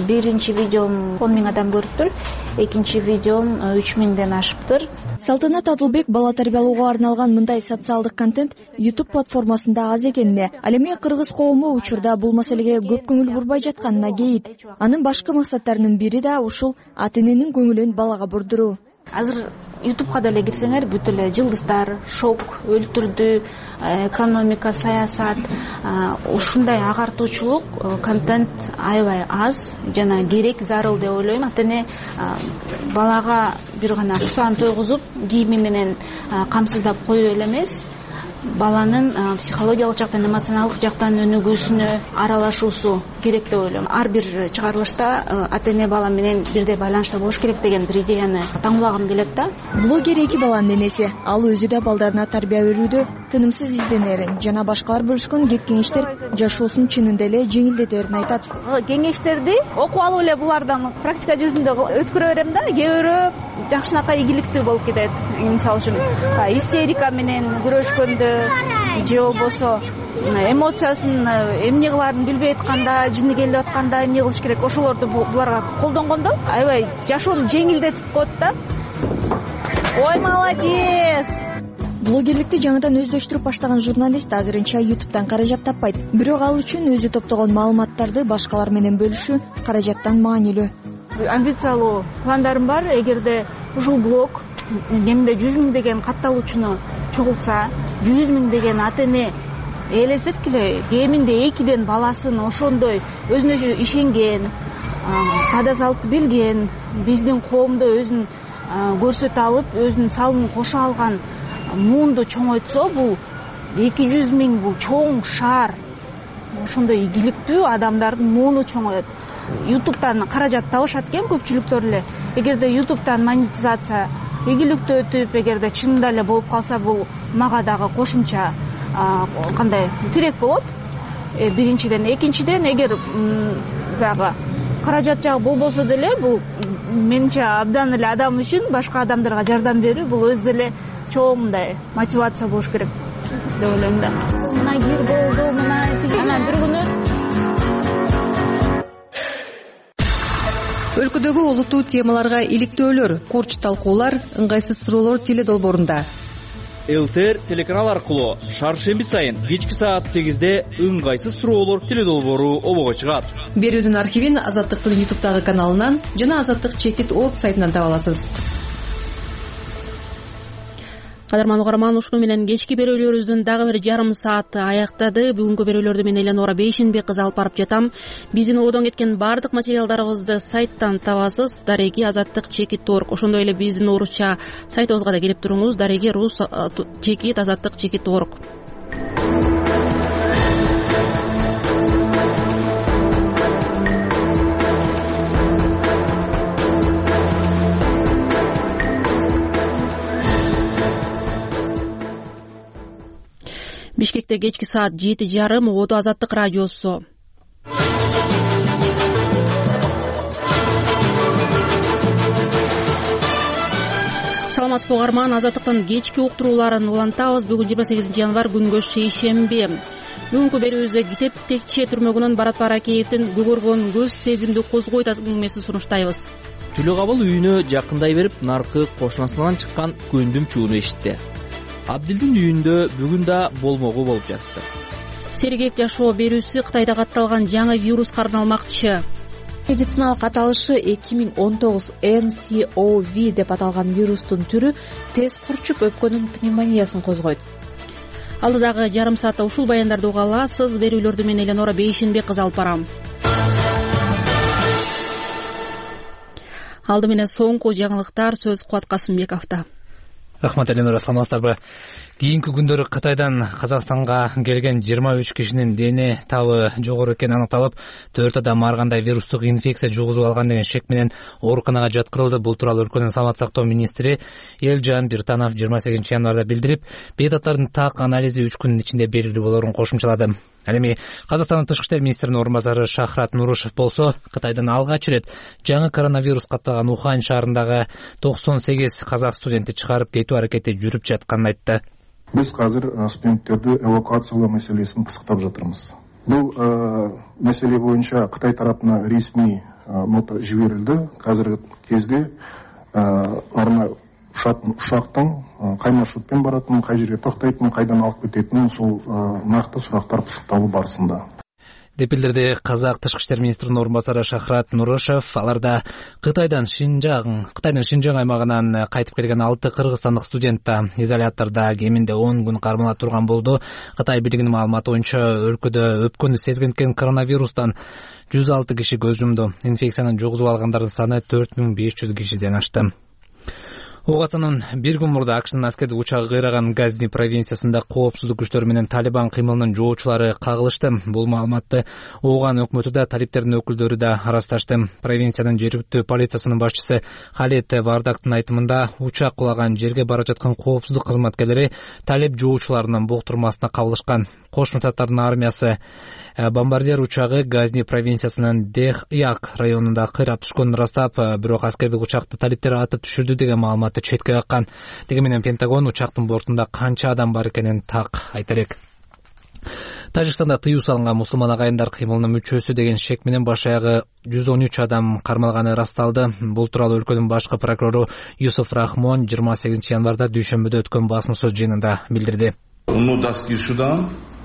биринчи видеом 10 000 адам көрүптүр, экинчи видеом 3 000ден ашыптыр. Салтанат Адылбек бала тарбиялоого арналган мындай социалдык контент YouTube платформасында аз экенине, ал эми кыргыз коому учурда бул маселеге көп көңүл бурбай жатканына кейит. Анын башкы максаттарынын бири да ушул ата-эненин көңүлүн балага бурдуруу. Азыр YouTube'га деле кирсеңер бүт эле жылдыздар, шок, өлтүрдү, экономика, саясат, ушундай агартуучулук контент аябай аз жана керек, зарыл деп ойлойм. Ата-эне балага бир гана кусаан тойгузуп, кийими менен камсыздап коюу эле эмес, баланын психологиялык жактан, эмоционалдык жактан өнүгүүсүнө аралашуусу керек деп ойлойм. Ар бир чыгарылышта ата-эне бала менен бирдей байланышта болуш керек деген бир идеяны таңуулагым келет да. Блогер 2 баланын энеси. Ал өзү да балдарына тарбия берүүдө тынымсыз изденерин жана башкалар бөлүшкөн кеп кеңештер жашоосун чынында эле жеңилдетерин айтат. Кеңештерди окуп алып эле булардан практика жүзүндө өткөрө берем да, кээ бирөө жакшынакай ийгиликтүү болуп кетет. Мисалы үчүн истерика менен күрөшкөндө же болбосо эмоциясын эмне кылаарын билбей атканда, жини келип атканда эмне кылыш керек, ошолорду буларга колдонгондо аябай жашоону жеңилдетип коет да. Ой, молодец! Блогерликти жаңыдан өздөштүрүп баштаган журналист азырынча YouTube'дан каражат таппайт. Бирок ал үчүн өзү топтогон маалыматтарды башкалар менен бөлүшүү каражаттан маанилүү. Амбициялуу пландарым бар. Эгерде ушул блог кеминде 100 000 деген катталуучуну чогултса, 100 000 деген ата-эне элестеткиле, кеминде 2ден баласын ошондой өзүнө өзү ишенген, кадазалыкты билген, биздин коомдо өзүн көрсөтө алып, өзүнүн салымын кошо алган муунду чоңойтсо, бул 200 000 бул чоң шаар. Ошондой ийгиликтүү адамдардын мууну чоңоет. YouTube'дан каражат табышат экен көпчүлүктөр эле. Эгерде YouTube'дан монетизация ийгиликтүү өтүп, эгерде чынында эле болуп калса, бул мага дагы кошумча кандай тирек болот. Биринчиден, экинчиден, эгер баягы каражат жагы болбосо деле, бул менимче абдан эле адам үчүн башка адамдарга жардам берүү бул өзү эле чоң мындай мотивация болуш керек деп ойлойм да. Мына кир болду, мына анан бир күнү Өлкөдөгү олуттуу темаларга иликтөөлөр, курч талкуулар, ыңгайсыз суроолор теле долбоорунда. ЛТР телеканал аркылуу шаршемби сайын кечки саат 8-де ыңгайсыз суроолор теле долбоору обого чыгат. Берүүнүн архивин Азаттыктын YouTube'дагы каналынан жана Азаттык-Чекит.org сайтынан таба аласыз. Кадырман угарман, ушуну менен кечки берүүлөрүбүздүн дагы бир жарым сааты аяктады. Бүгүнкү берүүлөрдү мен Эленора Бейшенбек кызы алып барып жатам. Биздин одон кеткен баардык материалдарыбызды сайттан табасыз. Дареги Азаттык-Чекит.org. Ошондой эле биздин орусча сайтыбызга да кирип туруңуз. Дареги рус чекит Азаттык-Чекит.org. Бишкекте кечки саат 7:30 Оодо Азаттык радиосу. Саламатсызбы угарман, Азаттыктын кечки уктурууларын улантабыз. Бүгүн 28 январь күнгө шейшемби. Бүгүнкү берүүбүздө Китеп Текче түрмөгүнөн Барат Баракеевдин Көгөргөн көз сезимди козгойт әңгимесин сунуштайбыз. Түлө кабыл үйүнө жакындай берип, наркы кошунасынан чыккан көндүм чууну эшитти. Абдилдин үйүндө бүгүн да болмогу болуп жатты. Сергек жашоо берүүсү Кытайда катталган жаңы вируска арналмакчы. Медициналык аталышы 2019 NCOV деп аталган вирустун түрү тез курчуп өпкөнүн пневмониясын козгойт. Алдыдагы жарым саатта ушул баяндарды уга аласыз. Берүүлөрдү мен Эленора Бейшенбек кызы алып барам. Алды менен соңку жаңылыктар, сөз Кубат Касымбековдо. Рахмат, Эленора, саламатсыздарбы? Кийинки күндөрү Кытайдан Казакстанга келген 23 кишинин дене табы жогору экени аныкталып, 4 адам ар кандай вирустук инфекция жугузуп алган деген шек менен ооруканага жаткырылды. Бул тууралуу өлкөнүн саламат сактоо министри Элжан Биртанов 28 январда билдирип, бейтаптардын так анализи 3 күндүн ичинде белгилүү болоорун кошумчалады. Ал эми Казакстандын тышкы иштер министринин орун базары Шахрат Нурушев болсо, Кытайдан алгач ирет жаңы коронавирус катталган Ухань шаарындагы 98 казак студентти чыгарып кетүү аракети жүрүп жатканын айтты. Биз азыр студенттерди эвакуациялоо маселесин пысыктап жатырбыз. Бул маселе боюнча Кытай тарапына ресми нота жиберилди. Азыркы кезде арна ушактын кай маршрутпен баратынын, кай жерге токтойтунун, кайдан алып кететинин сол накты сурактар пысыкталуу барысында деп билдирди казак тышкы иштер министринин орун базары Шахрат Нурушев. Аларда Кытайдын Шинжаң аймагынан кайтып келген 6 кыргызстандык студент да изолятордо кеминде 10 күн кармала турган болду. Кытай бийлигинин маалыматы боюнча өлкөдө өпкөнү сезгенткен коронавирустан 106 киши көз жумду. Инфекцияны жугузуп алгандардын саны 4500 кишиден ашты. Оогатанын бир күн мурда АКШнын аскердик учагы кыйраган Газни провинциясында коопсуздук күчтөрү менен Талибан кыймылынын жоочулары кагылышты. Бул маалыматты Ооган өкмөтү да, талиптердин өкүлдөрү да ырасташты. Провинциянын жергиликтүү полициясынын башчысы Халид Вардактын айтымында, учак кулаган жерге бара жаткан коопсуздук кызматкерлери талип жоочуларынын боктурмасына кабылышкан. Кошмо Штаттардын армиясы бомбардир учагы Газни провинциясынын Дех-Як районунда кыйрап түшкөнүн ырастап, бирок аскердик учакты талиптер атып түшүрдү деген маалыматты четке каккан. Деги менен Пентагон учактын бортунда канча адам бар экенин так айта элек. Тажикстанда тыюу салынган мусулман агайындар кыймылынын мүчөсү деген шек менен баш аягы 113 адам кармалганы ырасталды. Бул тууралуу өлкөнүн башкы прокурору Юсуф Рахмон 28 январда дүйшөмбүдө өткөн басма сөз жыйынында билдирди.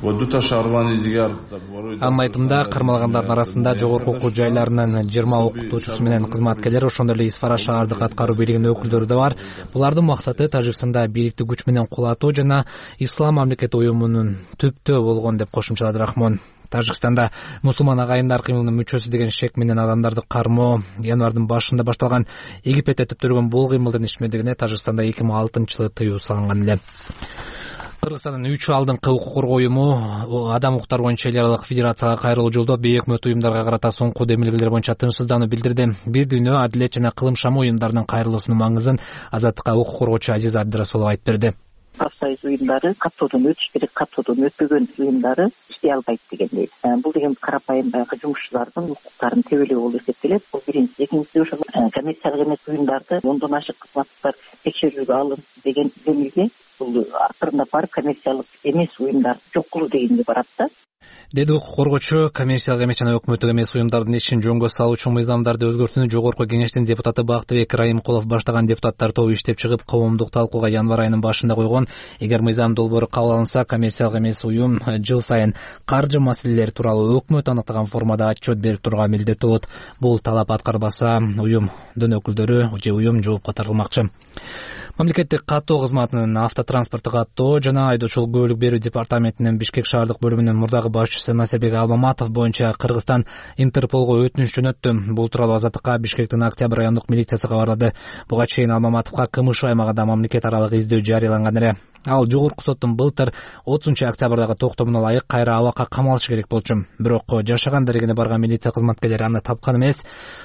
Анын айтымында кармалгандардын арасында жогорку окуу жайларынын 20 окутуучусу менен кызматкерлер, ошондой эле Исфара шаардык аткаруу бийлигинин өкүлдөрү да бар. Булардын максаты Тажикстанда бийликти күч менен кулатуу жана Ислам мамлекети уюмунун түптөө болгон деп кошумчалады Рахмон. Тажикстанда мусулман агайындар кыймылынын мүчөсү деген шек менен адамдарды кармоо январдын башында башталган. Египетте түптөлгөн бул кыймылдын ишмердигине Тажикстанда 2006-жылы тыюу салынган эле. Кыргызстандын 3 алдыңкы укук коргоо уюму адам укуктары боюнча эл аралык федерацияга кайрылуу жолдоп, бейөкмөт уюмдарга карата соңку демилгелер боюнча тынчсыздануу билдирди. Бир дүйнө адилет жана кылым шамы уюмдарынын кайрылуусунун маңызын Азаттыкка укук коргоочу Азиза Абдырасулова айтып берди. Профсоюз уюмдары каттоодон өтүш керек, каттоодон өтпөгөн уюмдары иштей албайт дегендей. Бул деген карапайым баягы жумушчулардын укуктарын тебелөө болуп эсептелет. Бул биринчи. Экинчиси, ошол коммерциялык эмес уюмдарды ондон ашык кызматтар текшерүүгө алынды деген демилге бул акырында барып коммерциялык эмес уюмдар жок кылуу дегенге барат да, деди укук коргоочу. Коммерциялык эмес жана өкмөттүк эмес уюмдардын ишин жөнгө салуучу мыйзамдарды өзгөртүүнү Жогорку Кеңештин депутаты Бактыбек Райымкулов баштаган депутаттар тобу иштеп чыгып, коомдук талкууга январь айынын башында койгон. Эгер мыйзам долбоору кабыл алынса, коммерциялык эмес уюм жыл сайын каржы маселелери тууралуу өкмөт аныктаган формада отчет берип турууга милдеттүү болот. Бул талап аткарбаса, уюмдун өкүлдөрү же уюм жоопко тартылмакчы. Мамлекеттик каттоо кызматынын автотранспортту каттоо жана айдоочулук көбөлүк берүү департаментинин Бишкек шаардык бөлүмүнүн мурдагы башчысы Насирбек Алмаматов боюнча Кыргызстан Интерполго өтүнүч жөнөттү. Бул тууралуу Азаттыкка Бишкектин Октябрь райондук милициясы кабарлады. Буга чейин Алмаматовго КМШ аймагында мамлекет аралык издөө жарыяланган эле. Ал Жогорку соттун былтыр 30-октябрдагы токтомуна ылайык кайра абакка камалышы керек болчу. Бирок жашаган дерегине барган милиция кызматкерлери аны тапкан эмес.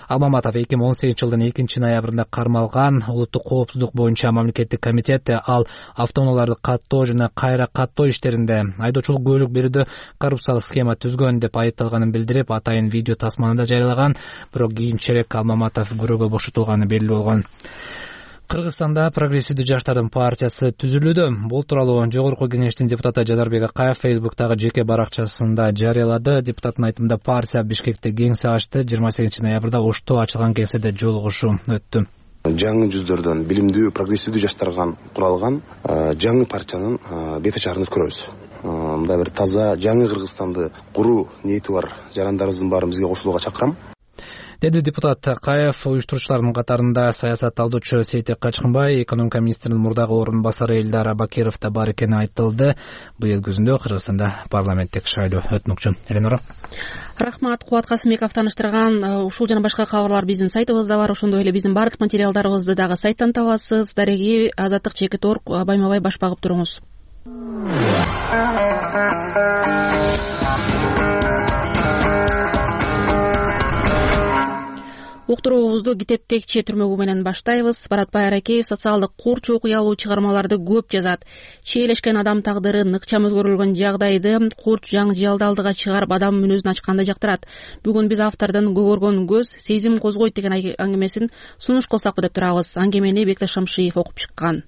Алмаматов 2018-жылдын 2-ноябрында кармалган. Улуттук коопсуздук боюнча мамлекеттик комитет ал автоунааларды каттоо жана кайра каттоо иштеринде айдоочулук көбөлүк берүүдө коррупциялык схема түзгөн деп айыпталганын билдирип, атайын видео тасманы да жарыялаган. Бирок кийинчерээк Алмаматов күрөөгө бошотулганы белгилүү болгон. Кыргызстанда прогрессивдүү жаштардын партиясы түзүлүүдө. Бул тууралуу Жогорку Кеңештин депутаты Жадарбек Акаев Фейсбуктагы жеке баракчасында жарыялады. Депутаттын айтымында партия Бишкекте кеңсе ачты. 28-ноябрда Ошто ачылган кеңседе жолугушуу өттү. Жаңы жүздөрдөн билимдүү, прогрессивдүү жаштардан куралган жаңы партиянын бет ачарын өткөрөбүз. Мындай бир таза жаңы Кыргызстанды куруу ниети бар жарандарыбыздын баарын бизге кошулууга чакырам, деди депутат Акаев. Уюштуруучулардын катарында саясат талдоочу Сейтек Качкынбай, экономика министринин мурдагы орун басары Элдар Абакиров да бар экени айтылды. Быйыл күзүндө Кыргызстанда парламенттик шайлоо өтмөкчү. Эленора. Рахмат, Кубат Касымбеков тааныштырган. Ушул жана башка кабарлар биздин сайтыбызда бар. Ошондой эле биздин бардык материалдарыбызды дагы сайттан табасыз. Дареги Азаттык Чекит.орг байма-бай баш багып туруңуз. Уктуруубузду Китептекчи түрмөгү менен баштайбыз. Баратбай Аракеев социалдык курч окуялуу чыгармаларды көп жазат. Чийлешкен адам тагдыры ныкчам өзгөрүлгөн жагдайды курч жаңы алдыга чыгарып адам мүнөзүн ачканды жактырат. Бүгүн биз автордун көгөргөн көз сезим козгойт деген аңгемесин сунуш кылсакпы деп турабыз. Аңгемени Бекташ Шамшиев окуп чыккан.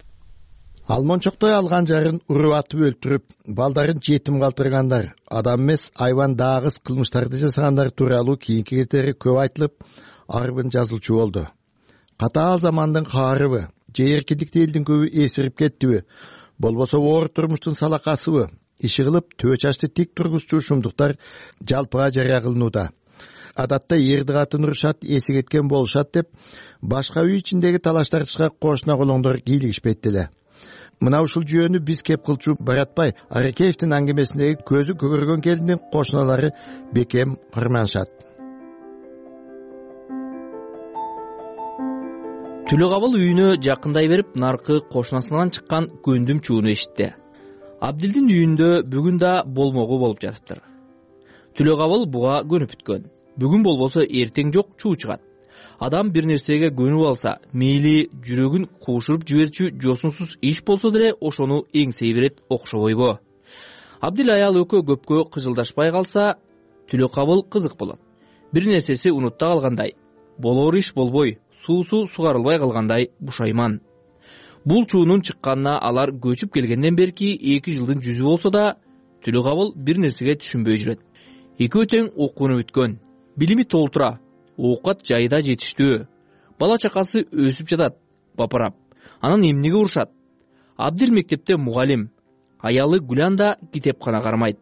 Алмончоктой алган жарын уруп атып өлтүрүп, балдарын жетим калтыргандар, адам эмес айван дагыс кылмыштарды жасагандар тууралуу кийинки кетери көп айтылып, арбын жазылчу болду. Катаал замандын каарыбы, же эркиндикти элдин көбү эсирип кеттиби, болбосо оор турмуштун салакасыбы, иши кылып төө чачты тик тургузчу ушумдуктар жалпыга жарыя кылынууда. Адатта эрди катын урушат, эси кеткен болушат деп, башка үй ичиндеги талаш тартышка кошуна колоңдор кийлигишпейт эле. Мына ушул жүйөнү биз кеп кылчу Баратбай Аракеевдин аңгемесиндеги көзү көгөргөн келиндин кошуналары бекем кырманышат. Түлөгабыл үйүнө жакындай берип, наркы кошунасынан чыккан көндүм чууну эшитти. Абдилдин үйүндө бүгүн да болмогу болуп жатыптыр. Түлөгабыл буга көнүп бүткөн. Бүгүн болбосо эртең жок чуу чыгат. Адам бир нерсеге көнүп алса, мейли жүрөгүн куушуруп жиберчү жосунсуз иш болсо деле ошону эңсей берет окшобойбу. Абдил аял экөө көпкө кыжылдашпай калса, Түлөкабыл кызык болот. Бир нерсеси унутта калгандай, болоор иш болбой, суусу сугарылбай калгандай бушайман. Бул чуунун чыкканына алар көчүп келгенден берки 2 жылдын жүзү болсо да, Түлөкабыл бир нерсеге түшүнбөй жүрөт. Экөө тең окууну бүткөн, билими толтура, оокат жайда жетиштүү. Бала чакасы өсүп жатат, бапырап. Анан эмнеге урушат? Абдил мектепте мугалим, аялы Гүлан да китепкана кармайт.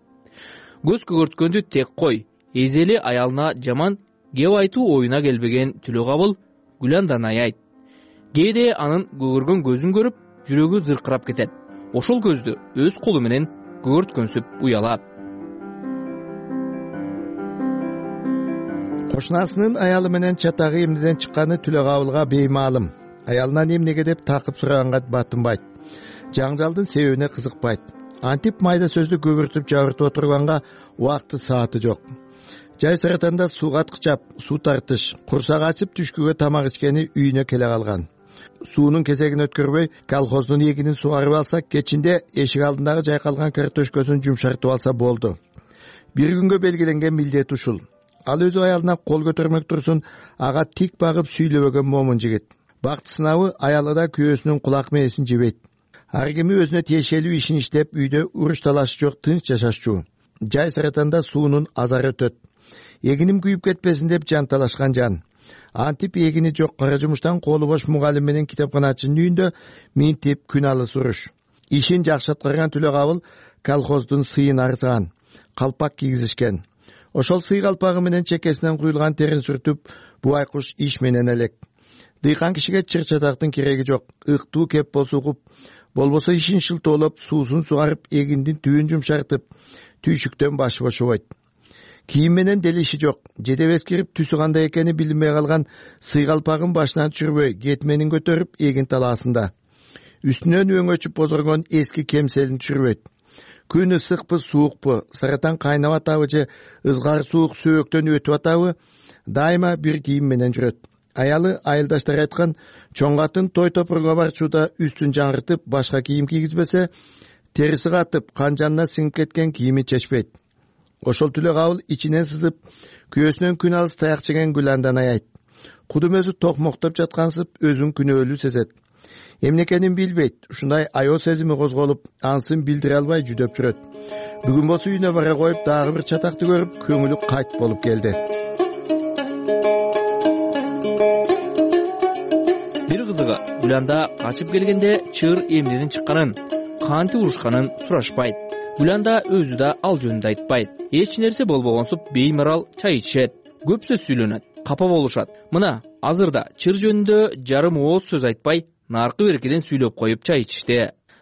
Көз көгөрткөндү тек кой, эзели аялына жаман кеп айтуу оюна келбеген Түлөкабыл Гүландан аябайт. Кээде анын көгөргөн көзүн көрүп, жүрөгү зыркырап кетет. Ошол көздү өз колу менен көгөрткөнсүп уялат. Кошунасынын аялы менен чатагы эмнеден чыкканы Түлөкабылга беймаалым. Аялынан эмнеге деп такып сураганга батынбайт. Жаңжалдын себебине кызыкпайт. Антип майда сөздү көбүртүп жабыртып отурганга убакты сааты жок. Жай сыратанда суу каткычап, суу тартыш, курсак ачып түшкүгө тамак ичкени үйүнө келе калган. Суунун кезегин өткөрбөй, колхоздун эгинин сугарып алса, кечинде эшик алдындагы жайкалган картошкөсүн жумшартып алса болду. Бир күнгө белгиленген милдет ушул. Ал өзү аялына кол көтөрмөк турсун, ага тик багып сүйлөбөгөн момун жигит. Бакыт сынабы аялы да күйөөсүнүн кулак мээресин жебейт. ар кими өзүнө тиешелүү ишин иштеп үйдө уруш талаш жок тынч жашашчу. Жай саратанда суунун азары өтөт. Эгиним күйүп кетпесин деп жанталашкан жан. Антип эгини жок кара жумуштан колу бош мугалим менен китепканачынын үйүндө минтип күн алыс уруш. Ишин жакшы аткарган Түлөгабыл колхоздун сыйын арзган, калпак кийгизишкен. Ошол сый калпагы менен чекесинен куюлган терин сүртүп, бубай куш иш менен элек. Дыйкан кишиге чыр-чатактын кереги жок. Ыктуу кеп болсо угуп, болбосо ишин шылтоолоп, суусун сугарып, эгиндин түбүн жумшартып, түйшүктөн башы бошобойт. Кийим менен дел иши жок. Жедеп эскирип, түсү кандай экени билинбей калган сый калпагын башынан түшүрбөй, кетменин көтөрүп, эгин талаасында. Үстүнөн өңөчүп бозоргон эски кемселин түшүрбөйт. Күн ысыкпы, суукпу, саратан кайнап атабы же ызгар суук сөөктөн өтүп атабы, дайыма бир кийим менен жүрөт. Аялы айылдаштар айткан чоң катын той топурга барчууда үстүн жаңыртып, башка кийим кийгизбесе, териси катып, канжанына сиңип кеткен кийими чечпейт. Ошол Түлөгабыл ичинен сызып, күйөөсүнөн күн алыс таяк жеген Гүландан аябайт. Кудум өзү токмоктоп жаткансып, өзүн күнөөлүү сезет. Эмне экенин билбейт. Ушундай аял сезими козголуп, ансын билдире албай жүдөп жүрөт. Бүгүн болсо үйүнө бара коюп, дагы бир чатакты көрүп, көңүлү кайт болуп келди. Бир кызыгы, Гүланда качып келгенде чыр эмнеден чыкканын, кантип урушканын сурашпайт. Гүланда өзү да ал жөнүндө айтпайт. Эч нерсе болбогонсуп беймарал чай ичишет, көп сөз сүйлөнөт, капа болушат. Мына, азырда чыр жөнүндө жарым ооз сөз айтпай, наркы беркеден сүйлөп коюп чай ичишти.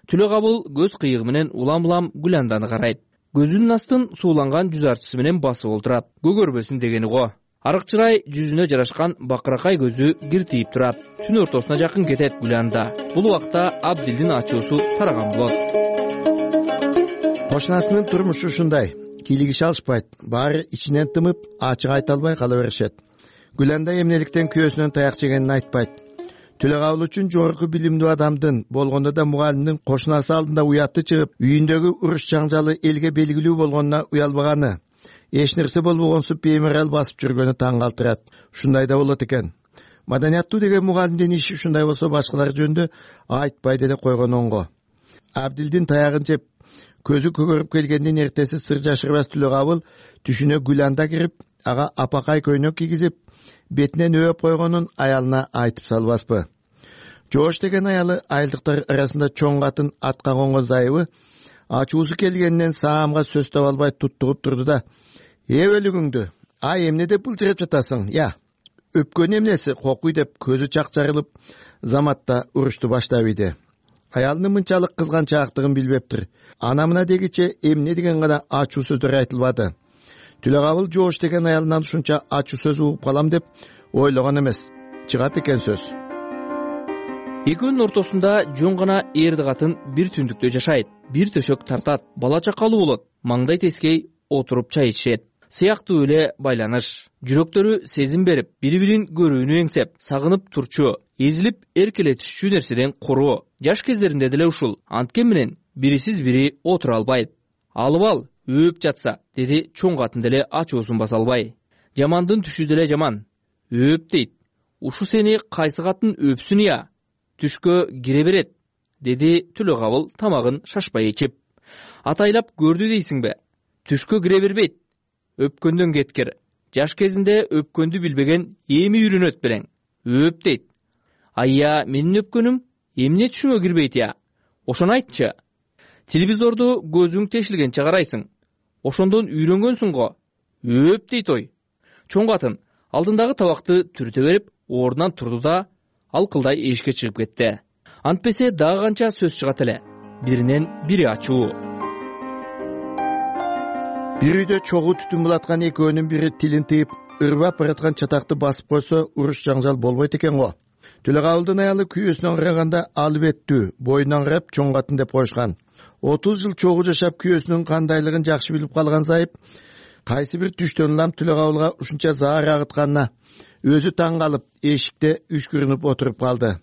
Түлөгабыл көз кыйыгы менен улам-улам Гүланданы карайт. Көзүнүн астын сууланган жүз арчысы менен басып олтурат. Көгөрбөсүн дегени го. Арык чырай жүзүнө жарашкан бакыракай көзү киртиип турат. Түн ортосуна жакын кетет Гүланда. Бул убакта Абдилдин ачуусу тараган болот. Кошунасынын турмушу ушундай. Кийлигише алышпайт. Баары ичинен тымып, ачык айта албай кала беришет. Гүланда эмнеликтен күйөөсүнөн таяк жегенин айтпайт. Түлөгабыл үчүн жогорку билимдүү адамдын, болгондо да мугалимдин кошунасы алдында уятты чыгып, үйүндөгү уруш жаңжалы элге белгилүү болгонуна уялбаганы, эч нерсе болбогонсуп беймарал басып жүргөнү таң калтырат. Ушундай да болот экен. Маданияттуу деген мугалимдин иши ушундай болсо башкалар жөнүндө айтпай деле койгон оңго. Абдилдин таягын жеп, көзү көгөрүп келгенден эртеси сыр жашырбас Түлөгабыл түшүнө Гүланда кирип, ага апакай көйнөк кийгизип, бетинен өөп койгонун аялына айтып салбаспы. Жоош деген аялы айылдыктар арасында чоң катын атка конгон зайыбы, ачуусу келгенинен саамга сөз таба албай туттугуп турду да: өлүгүңдү, эмне деп былжырап жатасың? Өпкөн эмнеси кокуй деп көзү чак жарылып, заматта урушту баштап ийди. Аялынын мынчалык кызганчаактыгын билбептир. Ана мына дегиче эмне деген гана ачуу сөздөр айтылбады. Түлөгабыл жоош деген аялынан ушунча ачуу сөз угуп калам деп ойлогон эмес. Чыгат экен сөз. Экөөнүн ортосунда жөн гана эрди катын бир түндүктө жашайт. Бир төшөк тартат, бала чакалуу болот, маңдай тескей отуруп чай ичишет. Сыяктуу эле байланыш. Жүрөктөрү сезим берип, бири-бирин көрүүнү эңсеп, сагынып турчу, эзилип эркелетишчү нерседен куруу. Жаш кездеринде деле ушул. Анткен менен бирисиз бири отура албайт. Алып ал, өөп жатса, деди чоң катын деле ачуусун баса албай. Жамандын түшү деле жаман. Өөп дейт. Ушу сени кайсы катын өпсүн я? Түшкө кире берет, деди Түлөгабыл тамагын шашпай ичип. Атайлап көрдү дейсиңби? Түшкө кире бербейт. Өпкөндөн кеткир. Жаш кезинде өпкөндү билбеген эми үйрөнөт белең. Өөп дейт. Айя, менин өпкөнүм эмне түшүңө кирбейт я? Ошону айтчы. Телевизорду көзүң тешилгенче карайсың. Ошондон үйрөнгөнсүң го. Өөп дейт ой. Чоң катын алдындагы табакты түртө берип, ордунан турду да алкылдай эшикке чыгып кетти. Антпесе дагы канча сөз чыгат эле. Биринен бири ачуу. Бир үйдө чогуу түтүн булаткан экөөнүн бири тилин тыйып, ырбап бараткан чатакты басып койсо, уруш жаңжал болбойт экен го. Түлөгабылдын аялы күйөөсүнөн караганда алып еттүү, боюнан карап чоң катын деп коюшкан. 30 жыл чогуу жашап күйөөсүнүн кандайлыгын жакшы билип калган зайып, кайсы бир түштөн улам Түлөгабылга ушунча заар агытканына өзү таң калып, эшикте үшкүрүнүп отуруп калды.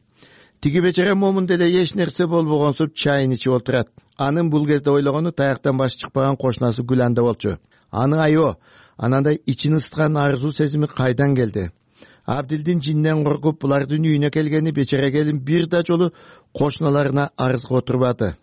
Тиги бечара момун деле эч нерсе болбогонсуп чайын ичип отурат. Анын бул кезде ойлогону таяктан башы чыкпаган кошунасы Гүланда болчу. Аны айоо, анандай ичин ысыткан арзуу сезими кайдан келди? Абдилдин жинден коркуп булардын үйүнө келгени бечара келин бир да жолу кошуналарына арызга отурбады.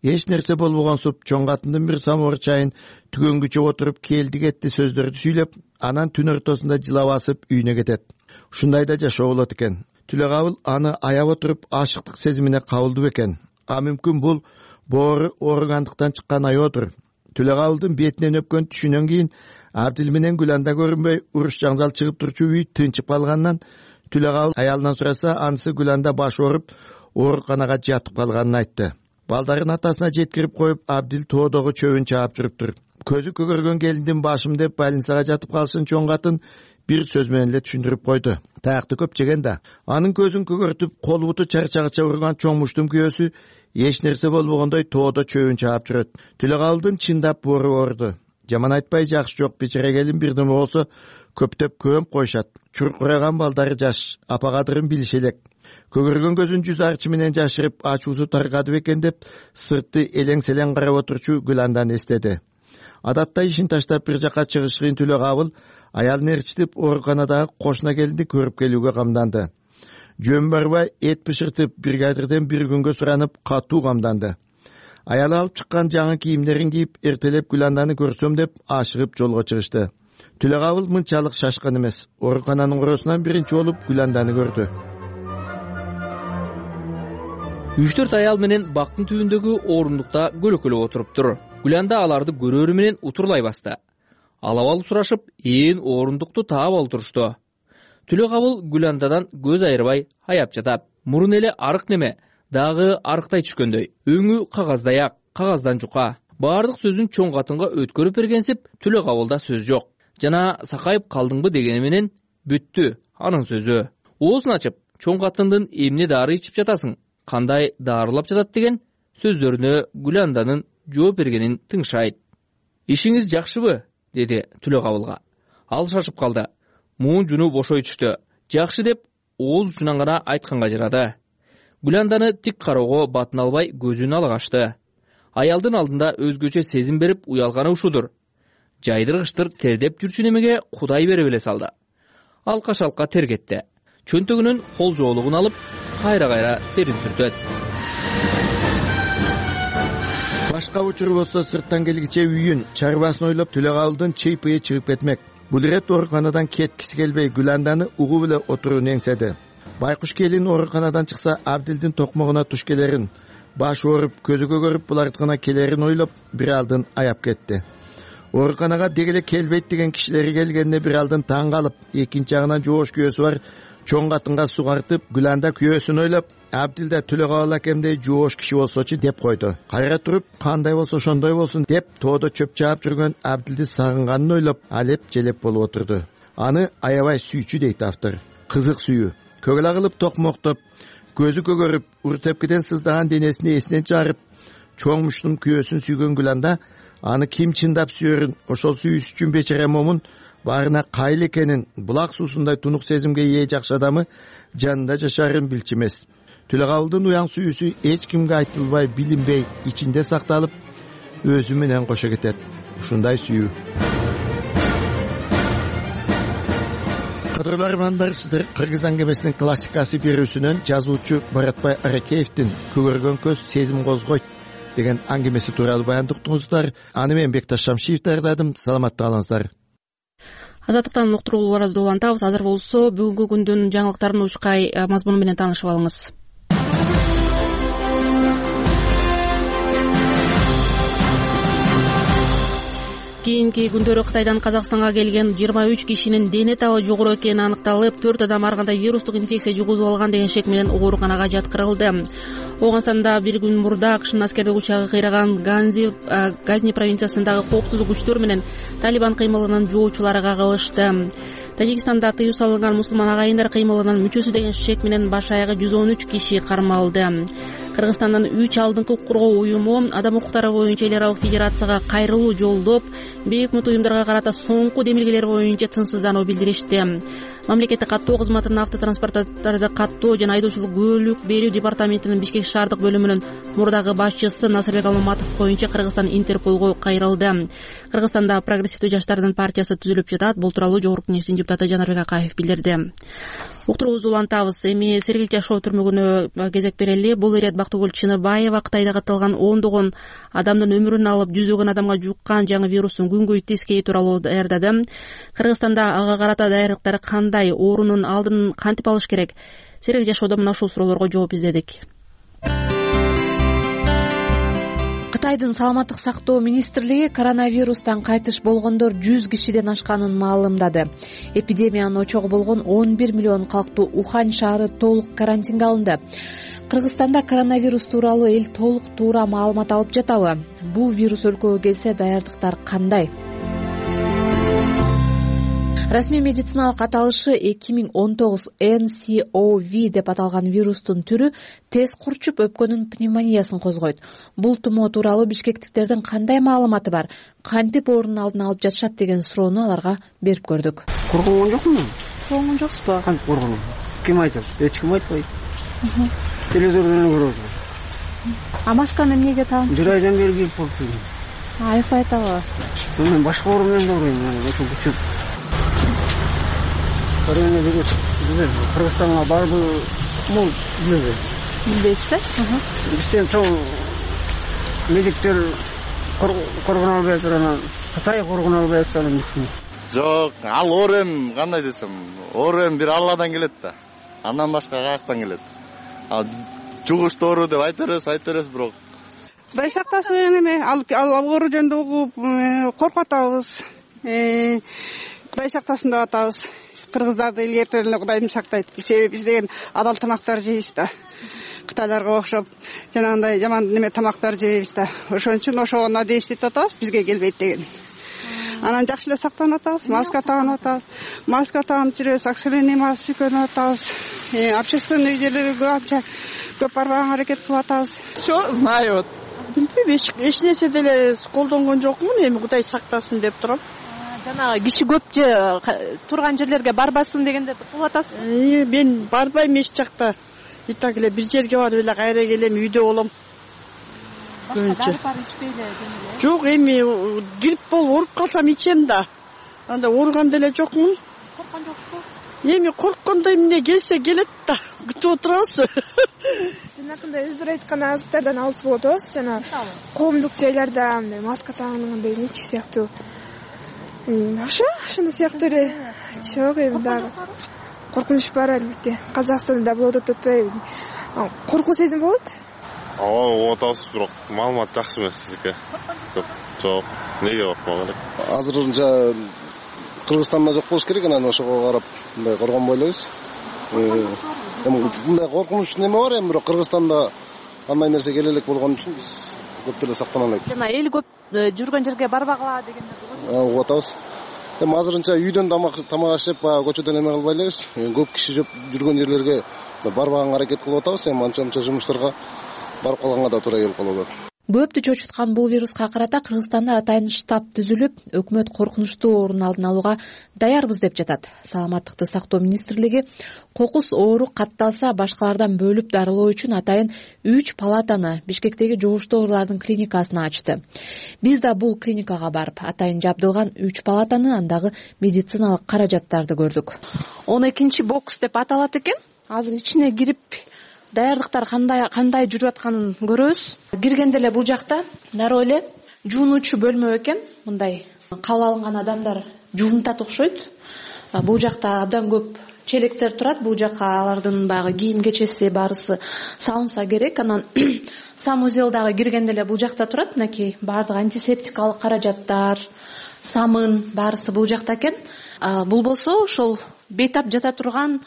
Эч нерсе болбогонсуп чоң катындын бир самовар чайын түгөнгүчө отуруп келди кетти сөздөрдү сүйлөп, анан түн ортосунда жылап басып үйүнө кетет. Ушундай да жашоо болот экен. Түлөгабыл аны аяп отуруп ашыктык сезимине кабылды бекен. А мүмкүн бул боору ооругандыктан чыккан аyoодур. Түлөгабылдын бетинен өпкөн түшүнөн кийин Абдил менен Гүланда көрүнбөй уруш жаңжал чыгып турчу үй тынчып калганынан Түлөгабыл аялынан сураса, анысы Гүланда баш ооруп ооруканага жатып калганын айтты. Балдарын атасына жеткирип коюп, Абдил тоодогу чөбүн чаап жүрүптүр. Көзү көгөргөн келиндин башым деп больницага жатып калышын чоң катын бир сөз менен эле түшүндүрүп койду. Таякты көп жеген да. Анын көзүн көгөртүп, кол буту чарчагыча урган чоң муштун күйөөсү эч нерсе болбогондой тоодо чөбүн чаап жүрөт. Түлөгабылдын чындап боору ооруду. Жаман айтпай жакшы жок, бечара келин бирдеме болсо көптөп көмүп коюшат. Чуркураган балдары жаш, апагадырын билиши элек. Көгөргөн көзүн жүз арчы менен жашырып, ачуусу таргады бекен деп сыртты элең-селең карап отурчу Гүланданы эстеди. Адатта ишин таштап бир жака чыгышкын Түлөгабыл аялын ээрчитип ооруканадагы кошуна келинди көрүп келүүгө камданды. Жөн барбай эт бышыртып бригадирден бир күнгө суранып катуу камданды. Аялы алып чыккан жаңы кийимдерин кийип, эртелеп Гүланданы көрсөм деп ашыгып жолго чыгышты. Түлөгабыл мынчалык шашкан эмес. Оорукананын коросунан биринчи болуп Гүланданы көрдү. 3-4 аял менен бактын түбүндөгү орундукта көлөкөлөп отуруптур. Гүланда аларды көрөрү менен утурлай басты. Алабалуу сурашып, ээн орундукту таап алып турушту. Түлөгабыл Гүландадан көз айырбай аяп жатат. Мурун эле арык неме, дагы арыктай түшкөндөй. Өңү кагаздай-ак, кагаздан жука. Баардык сөзүн чоң катынга өткөрүп бергенсип, Түлөгабылда сөз жок. Жана сакайып калдыңбы дегени менен бүттү анын сөзү. Оозун ачып, чоң катындын эмне дары ичип жатасың, кандай дарылап жатат деген сөздөрүнө Гүланданын жооп бергенин тыңшайт. Ишиңиз жакшыбы? Деди Түлөгабылга. Ал шашып калды. Муун жуну бошой түштү. Жакшы деп ооз учунан гана айтканга жарады. Гүланданы тик кароого батын албай көзүн алгашты. Аялдын алдында өзгөчө сезим берип уялганы ушудур. Жайдыргычтыр тердеп жүрчү немеге Кудай берип эле салды. Алка-шалка тергетти. Чөнтөгүнүн кол жоолугун алып, кайра-кайра терин сүртөт. Башка учур болсо сырттан келгиче үйүн, чарбасын ойлоп Түлөгабылдын чыйпыйы чыгып кетмек. Бул ирет ооруканадан кеткиси келбей Гүланданы угуп эле отурууну эңседи. Байкуш келин ооруканадан чыкса Абдилдин токмогуна туш келерин, баш ооруп, көзү көгөрүп булардыкына келерин ойлоп бир алдын аяп кетти. Ооруканага дегеле келбейт деген кишилери келгенде бир алдын таң калып, экинчи жагынан жоош күйөөсү бар чоң катынга сугартып, Гүланда күйөөсүн ойлоп, Абдил да Түлөгабыл акемдей жоош киши болсочу деп койду. Кайра туруп, кандай болсо ошондой болсун деп тоодо чөп чаап жүргөн Абдилди сагынганын ойлоп, алеп желеп болуп отурду. Аны аябай сүйчү дейт автор. Кызык сүйүү. Көгөлө кылып токмоктоп, көзү көгөрүп, ур тепкиден сыздаган денесин эсинен чыгарып, чоң муштун күйөөсүн сүйгөн Гүланда аны ким чындап сүйөрүн, ошол сүйүүсү үчүн бечара момун баарына кайыл экенин, булак суусундай тунук сезимге ээ жакшы адамы жанында жашаарын билчү эмес. Түлөгабылдын уяң сүйүүсү эч кимге айтылбай, билинбей, ичинде сакталып, өзү менен кошо кетет. Ушундай сүйүү. Кадырлуу армандар, сиздер Кыргыз аңгемесинин классикасы берүүсүнөн жазуучу Баратбай Аракеевдин «Көгөргөн көз сезим козгойт» деген аңгемеси тууралуу баяндап уктуңуздар. Аны мен Бекташ Шамшиев даярдадым. Саламатта калыңыздар. Азаттыктан уктурууларыбызды улантабыз. Азыр болсо бүгүнкү күндүн жаңылыктарын учкай мазмуну менен таанышып алыңыз. Кийинки күндөрү Кытайдан Казакстанга келген 23 кишинин дене табы жогору экени аныкталып, 4 адам ар кандай вирустук инфекция жугузуп алган деген шек менен ооруканага жаткырылды. Оңгонстанда бир күн мурда АКШнын аскердик учагы кыйраган Газни провинциясындагы коопсуздук күчтөр менен Талибан кыймылынын жоочулары кагылышты. Тажикстанда тыюу салынган мусулман агайындар кыймылынын мүчөсү деген шек менен баш аягы 113 киши кармалды. Кыргызстандын 3 алдыңкы коргоо уюму адам укуктары боюнча эл аралык федерацияга кайрылуу жолдоп, бейөкмөт уюмдарга карата соңку демилгелер боюнча тынчсыздануу билдиришти. мамлекеттик каттоо кызматынын автотранспорттарды каттоо жана айдоочулук көөлүк берүү департаментинин Бишкек шаардык бөлүмүнүн мурдагы башчысы Насырбек Алматов коюнча Кыргызстан Интерполго кайрылды. Кыргызстанда прогрессивдүү жаштардын партиясы түзүлүп жатат. Бул тууралуу Жогорку Кеңештин депутаты Жанарбек Акаев билдирди. Уктуруубузду улантабыз. Эми Сергел жашоо түрмөгүнө кезек берели. Бул ирет Бактыгүл Чыныбаева Кытайда катталган ондогон адамдын өмүрүн алып, жүзөгөн адамга жуккан жаңы вирустун күнгөй тескей тууралуу даярдады. Кыргызстанда ага карата даярдыктар кандай, оорунун алдын кантип алыш керек? Сергел жашоодо мына ушул суроолорго жооп издедик. Кытайдын саламаттык сактоо министрлиги коронавирустан кайтыш болгондор 100 кишиден ашканын маалымдады. Эпидемиянын очогу болгон 11 миллион калктуу Ухань шаары толук карантинге алынды. Кыргызстанда коронавирус тууралуу эл толук туура маалымат алып жатабы? Бул вирус өлкөгө келсе даярдыктар кандай? Расмий медициналык аталышы 2019 NCOV деп аталган вирустун түрү тез курчуп өпкөнүн пневмониясын козгойт. Бул тумоо тууралуу бишкектиктердин кандай маалыматы бар? Кантип оорунун алдын алып жатышат деген суроону аларга берип көрдүк. Корконгон жокмун? Корконгон жоксузбу? Кантип корконгон? Ким айтат? Эч ким айтпайт. Телевизордон көрөбүз. А масканы эмнеге тагып? Жырайдан бери кийип болчу. Айыкпай атабы? Мен башка оору менен да ооруйм. Ошо күчөп. Кыргызстанга барбы? Мол билбейм. Билбейсиз? Бизден чоң медиктер коргоно албай атат, анан Кытай коргоно албай атат. Жок, ал оорем кандай десем, оорем бир Алладан келет да. Андан башка каяктан келет? Ал жугуштуу оору деп айта беребиз, бирок Байсактасы эме ал оору жөнүндө угуп коркуп атабыз. Байсактасын деп атабыз. Кыргыздарды илгертен эле Кудайым сактайт. Себеби биз деген адал тамактар жейбиз да. Кытайларга окшоп жанагындай жаман неме тамактар жебейбиз да. Ошон үчүн ошого надействовать атабыз, бизге келбейт деген. Анан жакшы эле сактанып атабыз, маска тагынып атабыз. Маска тагынып жүрөбүз, оксилийный маска көрүнүп атабыз. Общественный жерлерге анча көп барбаганга аракет кылып атабыз. Что знаю, вот. Билбейм, эч нерсе деле колдонгон жокмун, эми Кудай сактасын деп турам. Жанагы киши көп же турган жерлерге барбасын дегенде кылып атасызбы? Мен барбайм эч жакта. И так эле бир жерге барып эле кайра келем, үйдө болом. Башка дары ичпей эле демеле. Жок, эми грипп болуп ооруп калсам ичем да. Анда ооруган деле жокмун. Корккон жоксузбу? Эми корккондой эмне келсе келет да. Күтүп отурабыз. Жанакындай өздөрү айткан азыктардан алыс болот атабыз. Жана коомдук жайларда маска тагынгандай нече сыяктуу. Ошондой сыяктуу эле. Жок, эми дагы коркунуч бар албетте. Казакстанда болот атпайбы? Коркуу сезим болот? Ооба, атабыз, бирок маалымат жакшы эмес экен. Жок, неге коркмок элек? Азырынча Кыргызстанда жок болуш керек, анан ошого карап мындай коргонбой элебиз. Эми мындай коркунуч неме бар, эми бирок Кыргызстанда андай нерсе келе элек болгон үчүн биз көп деле сактана албайт. Жана эл көп жүргөн жерге барбагыла дегенде болот. Угуп атабыз. Эми азырынча үйдөн тамак ашып, көчөдөн эме кылбай элебиз. Көп киши жүргөн жерлерге барбаганга аракет кылып атабыз. Эми анча-мынча жумуштарга барып калганга да туура келип калып атат. Көптү чочуткан бул вируска карата Кыргызстанда атайын штаб түзүлүп, өкмөт коркунучтуу оорунун алдын алууга даярбыз деп жатат. Саламаттыкты сактоо министрлиги кокус оору катталса башкалардан бөлүп дарылоо үчүн атайын 3 палатаны Бишкектеги жугуштуу оорулардын клиникасына ачты. Биз да бул клиникага барып, атайын жабдылган 3 палатаны, андагы медициналык каражаттарды көрдүк. 12 бокс деп аталат экен. Азыр ичине кирип даярдыктар кандай жүрүп атканын көрөбүз. Киргенде эле бул жакта дароо эле жуунуучу бөлмө экен. Мындай кабыл алынган адамдар жуунтат окшойт. Бул жакта абдан көп челектер турат. Бул жака алардын баягы кийим кечеси баарысы салынса керек. Анан санузел дагы киргенде эле бул жакта турат. Мынакей баардык антисептикалык каражаттар, самын баарысы бул жакта экен. Бул болсо ошол бейтап жата турган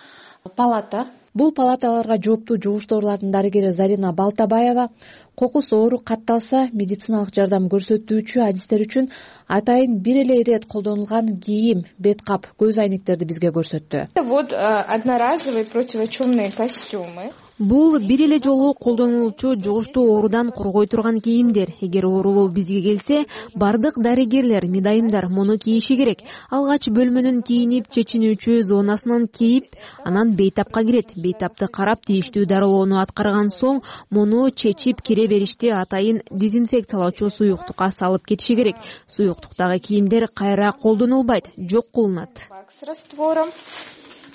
палата. Бул палаталарга жооптуу жугуштуу оорулардын дарыгери Зарина Балтабаева кокус оору катталса медициналык жардам көрсөтүүчү адистер үчүн атайын бир эле ирет колдонулган кийим, бет кап, көз айнектерди бизге көрсөттү. Вот одноразовые противочумные костюмы. Бул бир эле жолу колдонулчу жугуштуу оорудан коргой турган кийимдер. Эгер оорулуу бизге келсе, бардык дарыгерлер, медайымдар муну кийиши керек. Алгач бөлмөнүн кийинип чечинүүчү зонасынан кийип, анан бейтапка кирет. Бейтапты карап тийиштүү дарылоону аткарган соң муну чечип кире беришти атайын дезинфекциялоочу суюктукка салып кетиши керек. Суюктуктагы кийимдер кайра колдонулбайт, жок кылынат. С раствором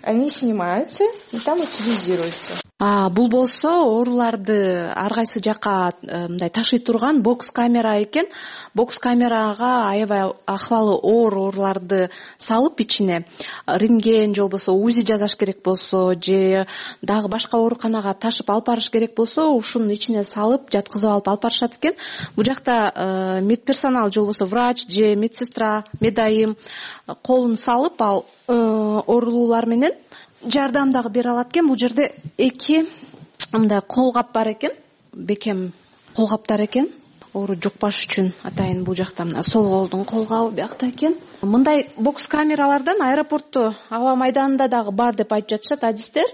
они снимаются и там утилизируются. Бул болсо ооруларды ар кайсы жакка мындай ташый турган бокс камера экен. Бокс камерага аябай акыбалы оор ооруларды салып ичине рентген же болбосо УЗИ жасаш керек болсо же дагы башка ооруканага ташып алып барыш керек болсо ушунун ичине салып жаткызып алып барышат экен. Бул жакта медперсонал же болбосо врач же медсестра, медайым колун салып ал оорулуулар менен жардам дагы бере алат экен. Бул жерде эки мындай колгап бар экен, бекем колгаптар экен. Оору жукпаш үчүн атайын бул жакта мына сол колдун колгабы биякта экен. Мындай бокс камералардан аэропортту аба майданында дагы бар деп айтып жатышат адистер.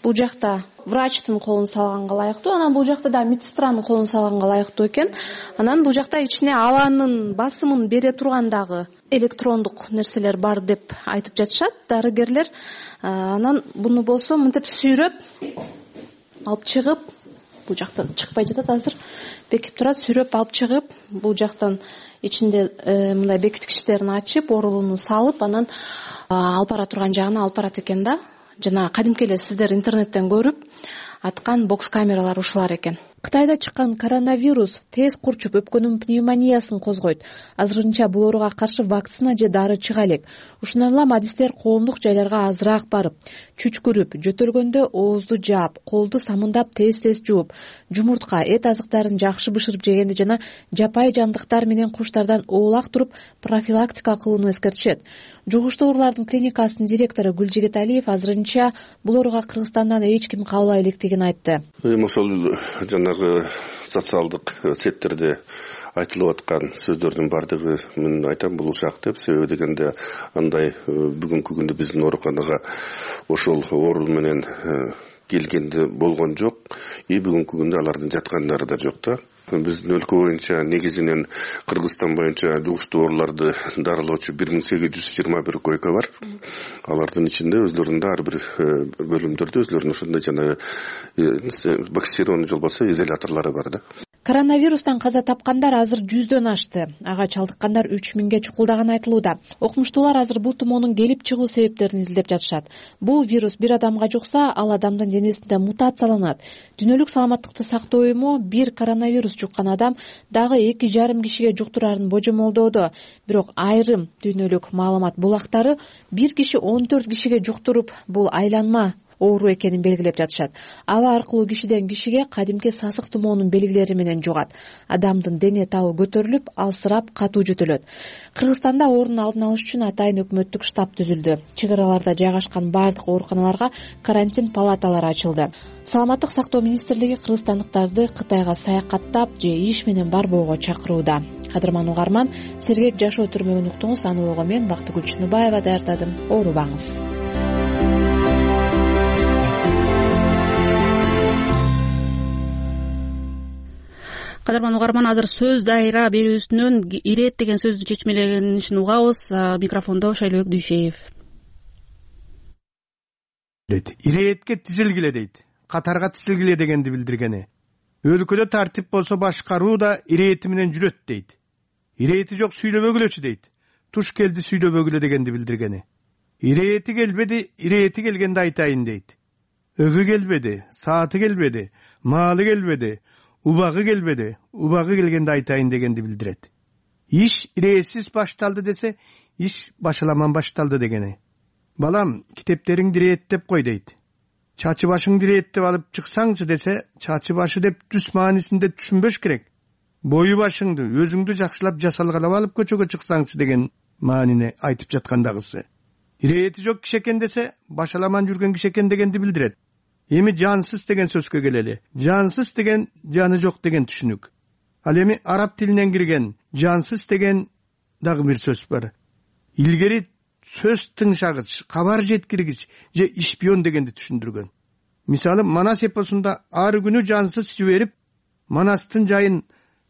Бул жакта врачтын колун салганга ылайыктуу, анан бул жакта да медсестранын колун салганга ылайыктуу экен. Анан бул жакта ичине абанын басымын бере турган дагы электрондук нерселер бар деп айтып жатышат дарыгерлер. Анан буну болсо мынтип сүйрөп алып чыгып, бул жактан чыкпай жатат азыр, бекип турат, сүйрөп алып чыгып, бул жактан ичинде мындай бекиткичтерин ачып, оорулууну салып, анан алып бара турган жагына алып барат экен да. Жана кадимки эле сиздер интернеттен көрүп аткан бокс камералар ушулар экен. Кытайда чыккан коронавирус тез курчуп өпкөнүн пневмониясын козгойт. Азырынча бул ооруга каршы вакцина же дары чыга элек. Ушундан улам адистер коомдук жайларга азыраак барып, чүчкүрүп, жөтөлгөндө оозду жаап, колду самындап тез-тез жууп, жумуртка, эт азыктарын жакшы бышырып жегенди жана жапайы жандыктар менен куштардан оолак туруп профилактика кылууну эскертишет. Жугуштуу оорулардын клиникасынын директору Гүлжигит Алиев азырынча бул ооруга Кыргызстандан эч ким кабылбай электигин айтты. Ошол социалдык сеттерде айтылып аткан сөздөрдүн баардыгы мен айтам бул ушак деп. Себеби дегенде андай бүгүнкү күндө биздин ооруканага ошол оору менен келгенде болгон жок. Бүгүнкү күндө алардын жаткандары да жок да. Биздин өлкө боюнча негизинен Кыргызстан боюнча жугуштуу ооруларды дарылоочу 1821 койка бар. Алардын ичинде өзлөрүндө ар бир бөлүмдөрдө өзлөрүнүн ошондой жана боксированный же болбосо изоляторлору бар да. Коронавирустан каза тапкандар азыр 100дөн ашты. Ага чалдыккандар 3000ге чукулдаганы айтылууда. Окумуштуулар азыр бул тумоонун келип чыгуу себептерин изилдеп жатышат. Бул вирус бир адамга жукса, ал адамдын денесинде мутацияланат. Дүйнөлүк саламаттыкты сактоо уюму бир коронавирус жуккан адам дагы 2,5 кишиге жуктурарын божомолдоодо. Бирок айрым дүйнөлүк маалымат булактары бир киши 14 кишиге жуктуруп, бул айланма оору экенин белгилеп жатышат. Аба аркылуу кишиден кишиге кадимки сасык тумоонун белгилери менен жугат. Адамдын дене табы көтөрүлүп, алсырап, катуу жөтөлөт. Кыргызстанда оорунун алдын алыш үчүн атайын өкмөттүк штаб түзүлдү. Чек араларда жайгашкан бардык ооруканаларга карантин палаталары ачылды. Саламаттык сактоо министрлиги кыргызстандыктарды Кытайга саякаттап же иш менен барбоого чакырууда. Кадырман угарман, сергек жашоо түрмөгүн уктуңуз. Аны ого мен Бактыгүл Чыныбаева даярдадым. Оорубаңыз. Кадырман угарман, азыр сөз дайра берүүсүнөн ирет деген сөздү чечмеленишин угабыз. Микрофондо Шайлообек Дүйшеев. Иретке тизилгиле дейт. Катарга тизилгиле дегенди билдиргени. Өлкөдө тартип болсо башкаруу да ирети менен жүрөт дейт. Ирети жок сүйлөбөгүлөчү дейт. Туш келди сүйлөбөгүлө дегенди билдиргени. Ирети келбеди, ирети келгенде айтайын дейт. Өгү келбеди, сааты келбеди, маалы келбеди, убагы келбеди, убагы келгенде айтайын дегенди билдирет. Иш иретсиз башталды десе, иш башаламан башталды дегени. Балам, китептериң ирет деп кой дейт. Чачы башың ирет деп алып чыксаңчы десе, чачы башы деп түс маанисинде түшүнбөш керек. Бою башыңды, өзүңдү жакшылап жасалгалап алып көчөгө чыксаңчы деген маанини айтып жаткандагысы. Ирети жок киши экен десе, башаламан жүргөн киши экен дегенди билдирет. Эми жансыз деген сөзгө келели. Жансыз деген жаны жок деген түшүнүк. Ал эми араб тилинен кирген жансыз деген дагы бир сөз бар. Илгери сөз тыңшагыч, кабар жеткиргич же ишпион дегенди түшүндүргөн. мисалы Манас эпосунда ар күнү жансыз жиберип Манастын жайын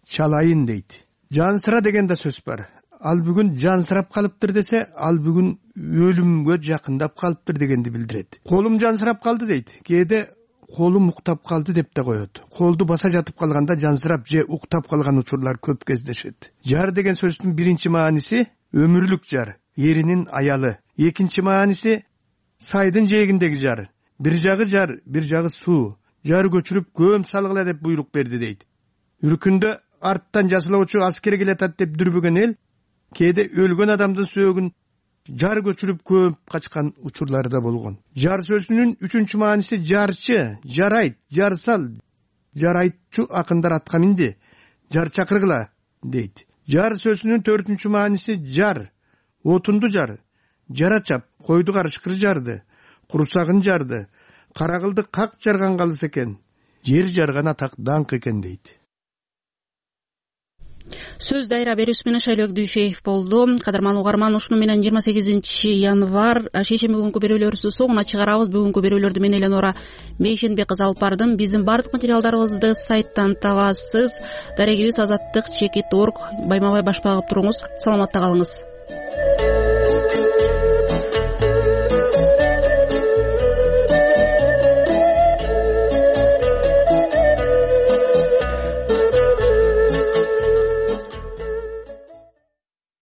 чалайын дейт. Жансыра деген да сөз бар. Ал бүгүн жансырап калыптыр десе, ал бүгүн өлүмгө жакындап калыптыр дегенди билдирет. Колум жансырап калды дейт. Кээде колум уктап калды деп да коет. Колду баса жатып калганда жансырап же уктап калган учурлар көп кездешет. Жар деген сөздүн биринчи мааниси өмүрлүк жар, эринин аялы. Экинчи мааниси сайдын жээгиндеги жар. Бир жагы суу. Жар көчүрүп көм салгыла деп буйрук берди дейт. Үркүндө арттан жасылоочу аскер келатат деп дүрбөгөн эл кээде өлгөн адамдын сөөгүн жар көчүрүп көп качкан учурлары да болгон. Жар сөзүнүн үчүнчү мааниси жарчы, жарайт, жарсал, жарайтчу акындар атка минди, жар чакыргыла дейт. Жар сөзүнүн төртүнчү мааниси жар, отунду жар, жара чап, койду карышкыр жарды, курсагын жарды, карагылды как жарган калыс экен, жер жарган атак даңк экен дейт. Сөз дайра берүүсү менен Шайлыбек Дүйшеев болду. Кадырман угарман, ушуну менен 28 январь шейшемби күнкү берүүлөрүбүздү соңуна чыгарабыз. Бүгүнкү берүүлөрдү мен Эленора Бейшенбек кызы алып бардым. Биздин бардык материалдарыбызды сайттан табасыз. Дарегибиз azаттык.org. Байма бай башпагып туруңуз. Саламатта калыңыз.